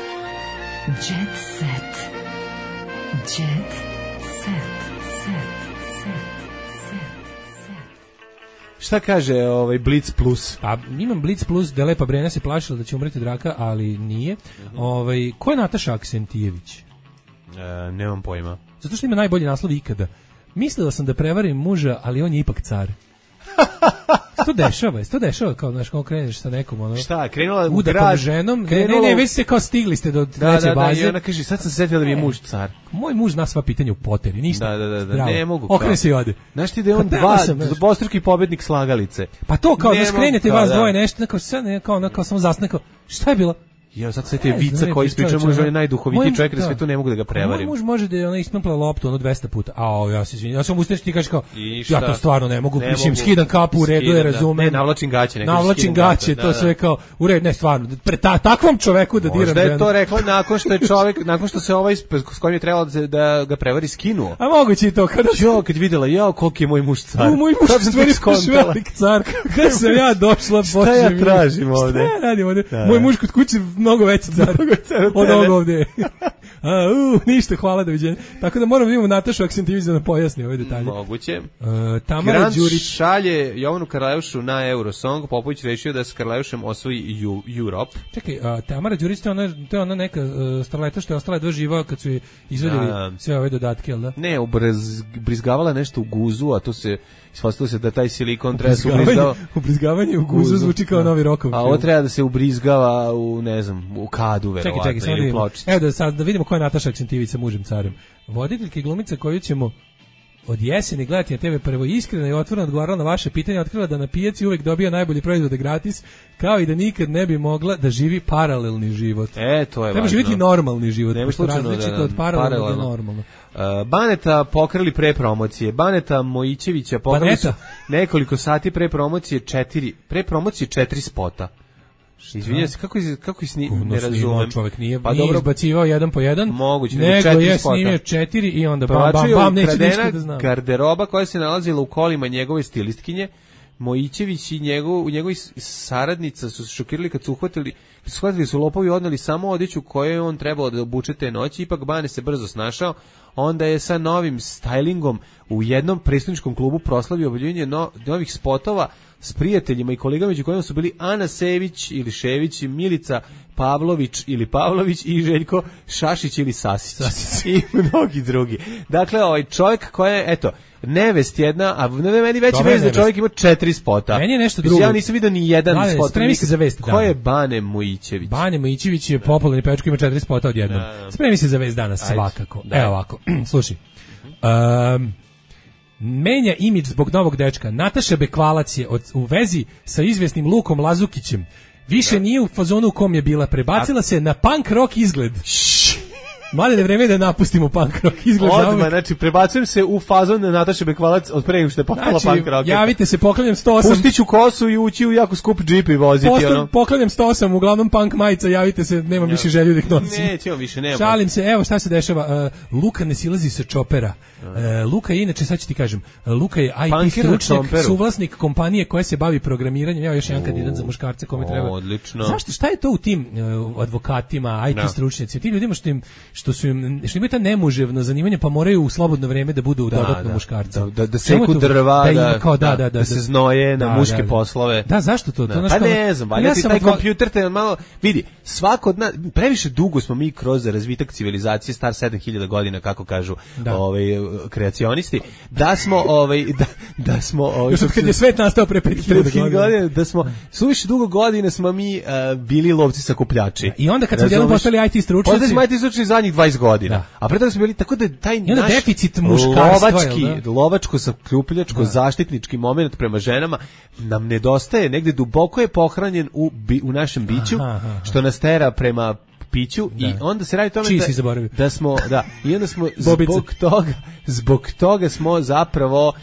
Jet set. Jet set. Šta kaže Blitz Plus? Pa imam Blitz Plus da Lepa Brena se plašila da će umreti draka, ali nije. Ko je Nataša Aksentijević? Nemam pojma. Zato što ima najbolji naslov ikada. Mislila sam da prevarim muža, ali on je ipak car. To dešava kao, znaš, kao kreneš sa nekom, šta, krenula u grad ženom, ne, već se kao stigli ste do treće baze. I ona kaže, sad sam se setila da mi je muž car. Moj muž zna sva pitanja u poteri, ništa. Da, ne mogu. Okrene se i ode. Znaš ti da je on dvostruki pobednik slagalice. Pa to kao da skrenete vas dvoje nešto, kao samo zasne, kao, šta je bilo? Ja sad sve te vica koji ispričam, može on je najduhovitiji čovjek na svetu, ne mogu da ga prevarim. Moj muž može da je ona isplempla loptu 200 puta. Ja se izvinjam. Ja sam ustaš ti kažeš kao ja to stvarno ne mogu. Mislim skidam kapu u redu, je razumem. Ne, navlačim gaće, navlačim gaće, to sve kao u redu, ne stvarno. Takvom čoveku da diram. Da je to rekla nakon što se ovaj s kojim je trebalo da ga prevari skinuo. A moguće i to kad videla koliko je moj muž car. Moj muž stvari velik car. Kada sam ja došla, šta ja tražim ovde? Šta ja radim ovde? Moj muž kod kuće mnogo veći car od ovog ovde. Ništa, hvala, doviđenja. Tako da moram da imamo Natašu Aksentivić da pojasni ove detalje. Moguće. Tamara Đurić šalje Jovanu Karleušu na Eurosong. Popović rešio da s Karleušem osvoji Europe. Čekaj, Tamara Đurić to je ona neka starleta što je ostala 2 živa kad su izvedeli sve ove dodatke, jel da? Ne, ubrizgavala nešto u guzu, a to se ispostavilo se da taj silikon treba se ubrizgava. Ubrizgavanje u guzu zvuči kao novi Rokov. A ovo treba da se ubrizgava u, ne znam, u kadu, verovatno, ili pločicu. Evo da vidimo ko je Nataša Aksentivić sa mužem carem. Voditeljka i glumica koju ćemo od jeseni gledati na TV prvo iskreno i otvoreno odgovarala na vaše pitanje, otkrila da na pijaci uvek dobija najbolji proizvode gratis, kao i da nikad ne bi mogla da živi paralelni život. To je važno. Treba živjeti normalni život, pošto različito od paralelnog do normalno. Baneta pokrali pre promocije. Baneta Mojićevića pokrali su nekoliko sati pre promocije 4 spota. Izvinjam se, kako ne razumem. Čovjek nije izbacivao jedan po jedan, moguće, nego je snimio 4 i onda bam, neće ništa da znam. Garderoba koja se nalazila u kolima njegove stilistkinje, Mojićević i njegovi saradnica su se šokirali kad su shvatili su lopovi odneli samo odeću koju je on trebao da obuče te noći, ipak Bane se brzo snašao, onda je sa novim stylingom u jednom prestoničkom klubu proslavio objavljivanje novih spotova s prijateljima i kolegama među kojima su bili Ana Sević ili Šević, Milica Pavlović ili Pavlović i Željko Šašić ili Sasić i mnogi drugi. Dakle, ovaj čovjek koji je, eto, nevest jedna, a meni veći vest da čovjek ima 4 spota. Meni je nešto drugo. Ja nisam vidio ni jedan spot. Spremi se za vest. Ko je Bane Mojićević? Bane Mojićević je popularni pevač koji ima 4 spota odjednom. Spremi se za vest danas, svakako. Evo ovako, slušaj. Menja imidž zbog novog dečka. Nataša Bekvalac je u vezi sa izvjesnim Lukom Lazukićem. Više nije u fazonu u kom je bila. Prebacila se na punk rock izgled. Mladene, vreme je da napustimo punk rock izgled. Odmah, znači prebacujem se u fazon na Nataše Bekvalac od pre nego što je postala punk rock. Javite se, poklanjam 108. Pustit ću kosu i ući u jako skup džip i voziti. Poklanjam 108, uglavnom punk majica, javite se, nemam više želju da ih nosim. Nećemo više, nema. Šalim se, evo šta se dešava. Luka ne silazi sa čopera. Luka je inače, sad ću ti kažem, Luka je IT stručnjak, suvlasnik kompanije koja se bavi programiranjem. Evo još jedan kandidat za muškarce kome treba. Odlično. Zašto, šta je to u tim advokatima, IT stručnjacima, tim ljudima što imaju ta nemuževno zanimanje, pa moraju u slobodno vreme da budu dodatno muškarci. Da seku drva, da se znoje na muške poslove. Da, zašto to? Pa ne znam, valjda ti taj kompjuter te malo, vidi, svako od nas, previše dugo smo mi kroz razvitak civilizacije, star 7000 godina, kako kažu kreacionisti, da smo još od kad je svet nastao pre 5000 godina, da smo suviše dugo godina smo mi bili lovci sakupljači. I onda kad smo jednom postali IT stručnjaci, onda smo IT stručnjaci zadnjih 20 godina. A pre toga smo bili, tako da taj naš deficit muškarstva, lovačko sakupljačko zaštitnički moment prema ženama nam nedostaje, negde duboko je pohranjen u našem biću, što nas tera prema piću i onda se radi tome da smo i onda smo zbog toga smo zapravo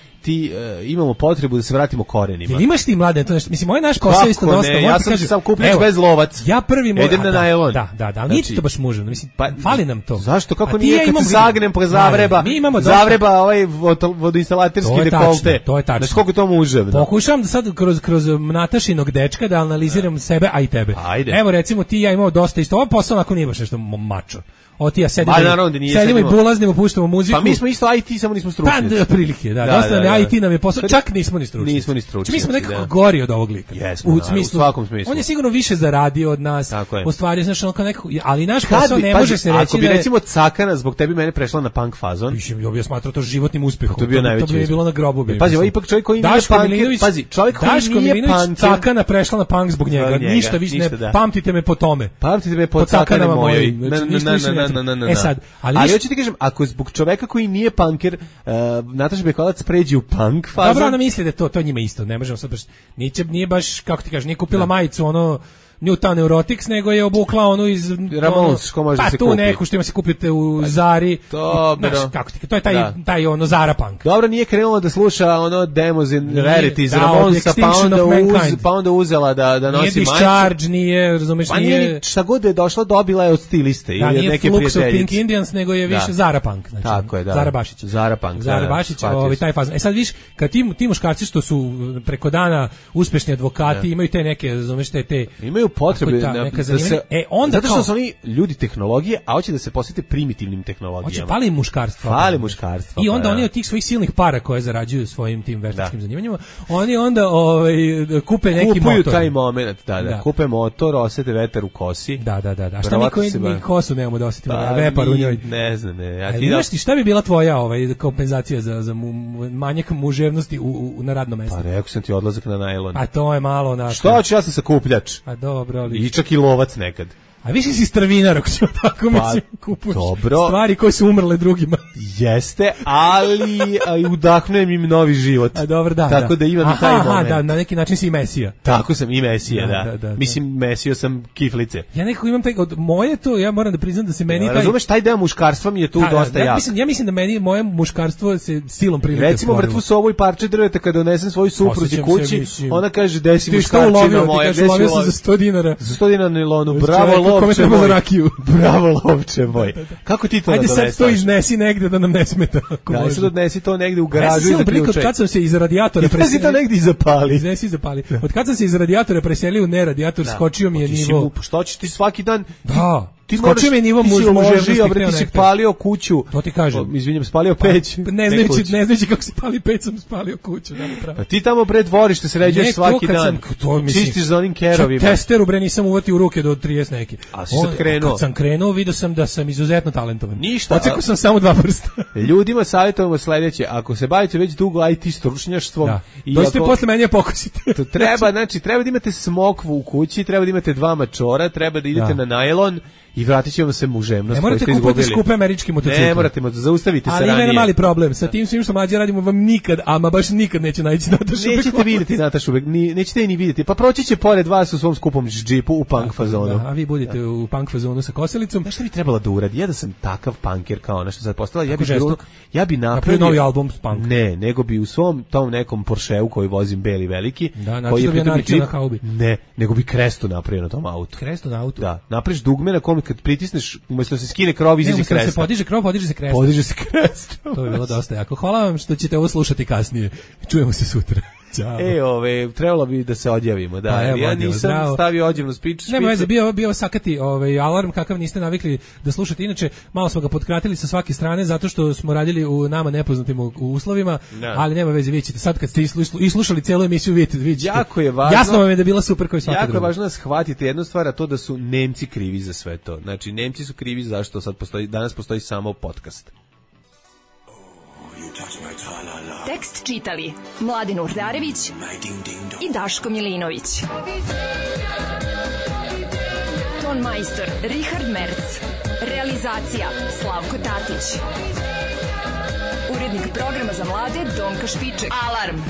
imamo potrebu da se vratimo korenima. Jel imaš ti mlade, to nešto, mislim, moj naš posao isto dosta. Ja sam sam kupljač bez lovac. Ja prvi idem na najlon. Da, ali nije to baš mužno, mislim, fali nam to. Zašto, kako nije kad se zagnem pa zavreba ovaj vodoinstalaterski dekolte. To je tačno. Znači, koliko to muževno. Pokušavam da sad kroz Natašinog dečka da analiziram sebe, a i tebe. Evo, recimo, ti i ja imamo dosta isto. Ovo posao ako nije baš nešto mačo. Ja sedimo i bulaznimo, puštamo muziku. Pa mi smo isto IT, samo nismo stručni. Pa, otprilike, dosta nam je IT nam je posao, čak nismo ni stručni. Mi smo nekako gori od ovog lika. U svakom smislu. On je sigurno više zaradio od nas. U stvari, znaš, on nekako, ali naš posao ne može se reći da ako bi, recimo, Cakana zbog tebi mene prešla na punk fazon. Ja bih smatrao to životnim uspehom. To bi bilo na grobu. Pazi, ipak čovjek koji nije punker, pazi, čovjek koji nije punker. Cakana prešla na punk zbog njega. Ništa više ne, pamtite me po tome. Pamtite me po Cakanama mojoj. Ali hoću ti kažem, ako zbog čoveka koji nije punker, Nataša Bekvalac pređe u punk fazu. Dobro, ona misli da to njima isto, ne možemo sad baš, nije baš, kako ti kažeš, nije kupila majicu, Newtown Neurotics, nego je obukla onu iz Ramones, ko može pa se tu kupi. neku što ima se kupite u Zari. Dobro. Znaš, kako ti, to je taj ono Zara punk. Dobro, nije krenulo da sluša ono Demos in Rarities da, Ramonesa, pa onda uzela da nosi majicu. Nije Discharge, nije, razumeš, pa nije šta god je došla, dobila je od stiliste ili od neke prijateljice. Nije Flux of Pink Indians, nego je više Zara punk. Znači, tako je, da. Zara Bašić. Zara punk. Zara Bašić, taj fazon. Sad viš, kad ti muškarci što su preko dana uspešni advokati, imaju te neke, razumeš, te imaju potrebe da se onda zato što su oni ljudi tehnologije, a hoće da se posvete primitivnim tehnologijama. Fali muškarstvo. Fali muškarstvo. I onda oni od tih svojih silnih para koje zarađuju svojim tim veštačkim zanimanjima, oni onda kupe neki motor. Kupuju taj moment, da. Kupe motor, osete vetar u kosi. Da. A šta mi kosu nemamo da osetimo, vepar u njoj. Ne znam, šta bi bila tvoja kompenzacija za manjak muževnosti na radnom mestu? Pa rekao sam ti odlazak na najlon. A to je malo onako. Što ću, ja sam sakupljač. A dobro, ali... I čak i lovac nekad. A više si strvinar, ako ćemo tako mislim, kupuješ stvari koje su umrle drugima. Jeste, ali udahnujem im novi život. A dobro, da. Tako da imam i taj moment. Da, na neki način si i Mesija. Tako sam i Mesija, da. Mislim, Mesio sam kiflice. Ja nekako imam od moje to, ja moram da priznam da se meni razumeš, taj deo muškarstva mi je tu dosta jak. Ja mislim da meni moje muškarstvo se silom prilike. Recimo, mrtvu sobu i parče drveta kada donesem svoju supruzi kući, ona kaže, gde si muškarčina moja, gde si ulovio za 100 dinara. Za 100 dinara nilonu, bravo, kome treba za rakiju. Bravo, lovče moj. Kako ti to ajde sad to iznesi negde da nam ne smeta. Da, sad odnesi to negde u garažu i zaključaj. Od kad sam se iz radijatora preselio... to negde i zapali. Iznesi i zapali. Od kad sam se iz radijatora preselio u neradijator, skočio mi je nivo. Što ćeš ti svaki dan... Da. Ti skočio mi je nivo muževnosti, ti si palio kuću. To ti kažem. Izvinjam, spalio peć. Ne znajući kako se pali peć, sam spalio kuću. Pa ti tamo pred dvorište sređuješ svaki dan. Čistiš za onim kerovima. Testeru bre nisam uvatio u ruke do 30 neki. A si sad krenuo. Kad sam krenuo, vidio sam da sam izuzetno talentovan. Ništa. Ocekao sam samo 2 prsta. Ljudima savjetujemo sledeće, ako se bavite već dugo IT stručnjaštvom i dođite posle mene pokosite. To treba, znači treba da imate smokvu u kući, treba da imate 2 mačora, treba da idete na najlon. I vratit ćemo se muževnost. Ne morate kupiti skupe američki motocikle. Ne morate, zaustavite se ranije. Ali ima mali problem. Sa tim svim što mlađe radimo vam nikad, ama baš nikad neće naći Natašu Bekvalac. Nećete vidjeti Natašu Bekvalac, nećete je ni vidjeti. Pa proći će pored vas u svom skupom džipu u punk fazonu. A vi budete u punk fazonu sa koselicom. Znaš šta bi trebalo da uradi? Ja da sam takav punker kao ono što sad postala, ja bi napravio novi album s punk. Ne, nego bi u svom tom nekom Porscheu koji vozim beli veliki, koji je pritom na haubi. Ne, nego bi krestu napravio na tom autu. Krestu na autu. Da, napraviš dugme na kome kad pritisneš umjesto se skine krov, izađe kresta. Se podiže krov, podiže se kresta. Podiže se kresta. To bi bilo dosta jako. Hvala vam što ćete ovo slušati kasnije. Čujemo se sutra. Ćao. Trebalo bi da se odjavimo, da. Ja nisam stavio odjavnu špicu. Nema veze, bio sakati alarm kakav niste navikli da slušate. Inače, malo smo ga potkratili sa svake strane zato što smo radili u nama nepoznatim uslovima, ali nema veze, vidite sad kad ste i slušali celu emisiju, vidite. Jako je važno. Jasno vam je da bila super kao i svaka druga. Jako je važno da shvatite jednu stvar, a to da su Nemci krivi za sve to. Znači, Nemci su krivi zašto danas postoji samo podcast. Tekst čitali Mladen Urdarević i Daško Milinović. Ton majstor Richard Merc. Realizacija Slavko Tatić. Urednik programa za mlade Donka Špiček. Alarm!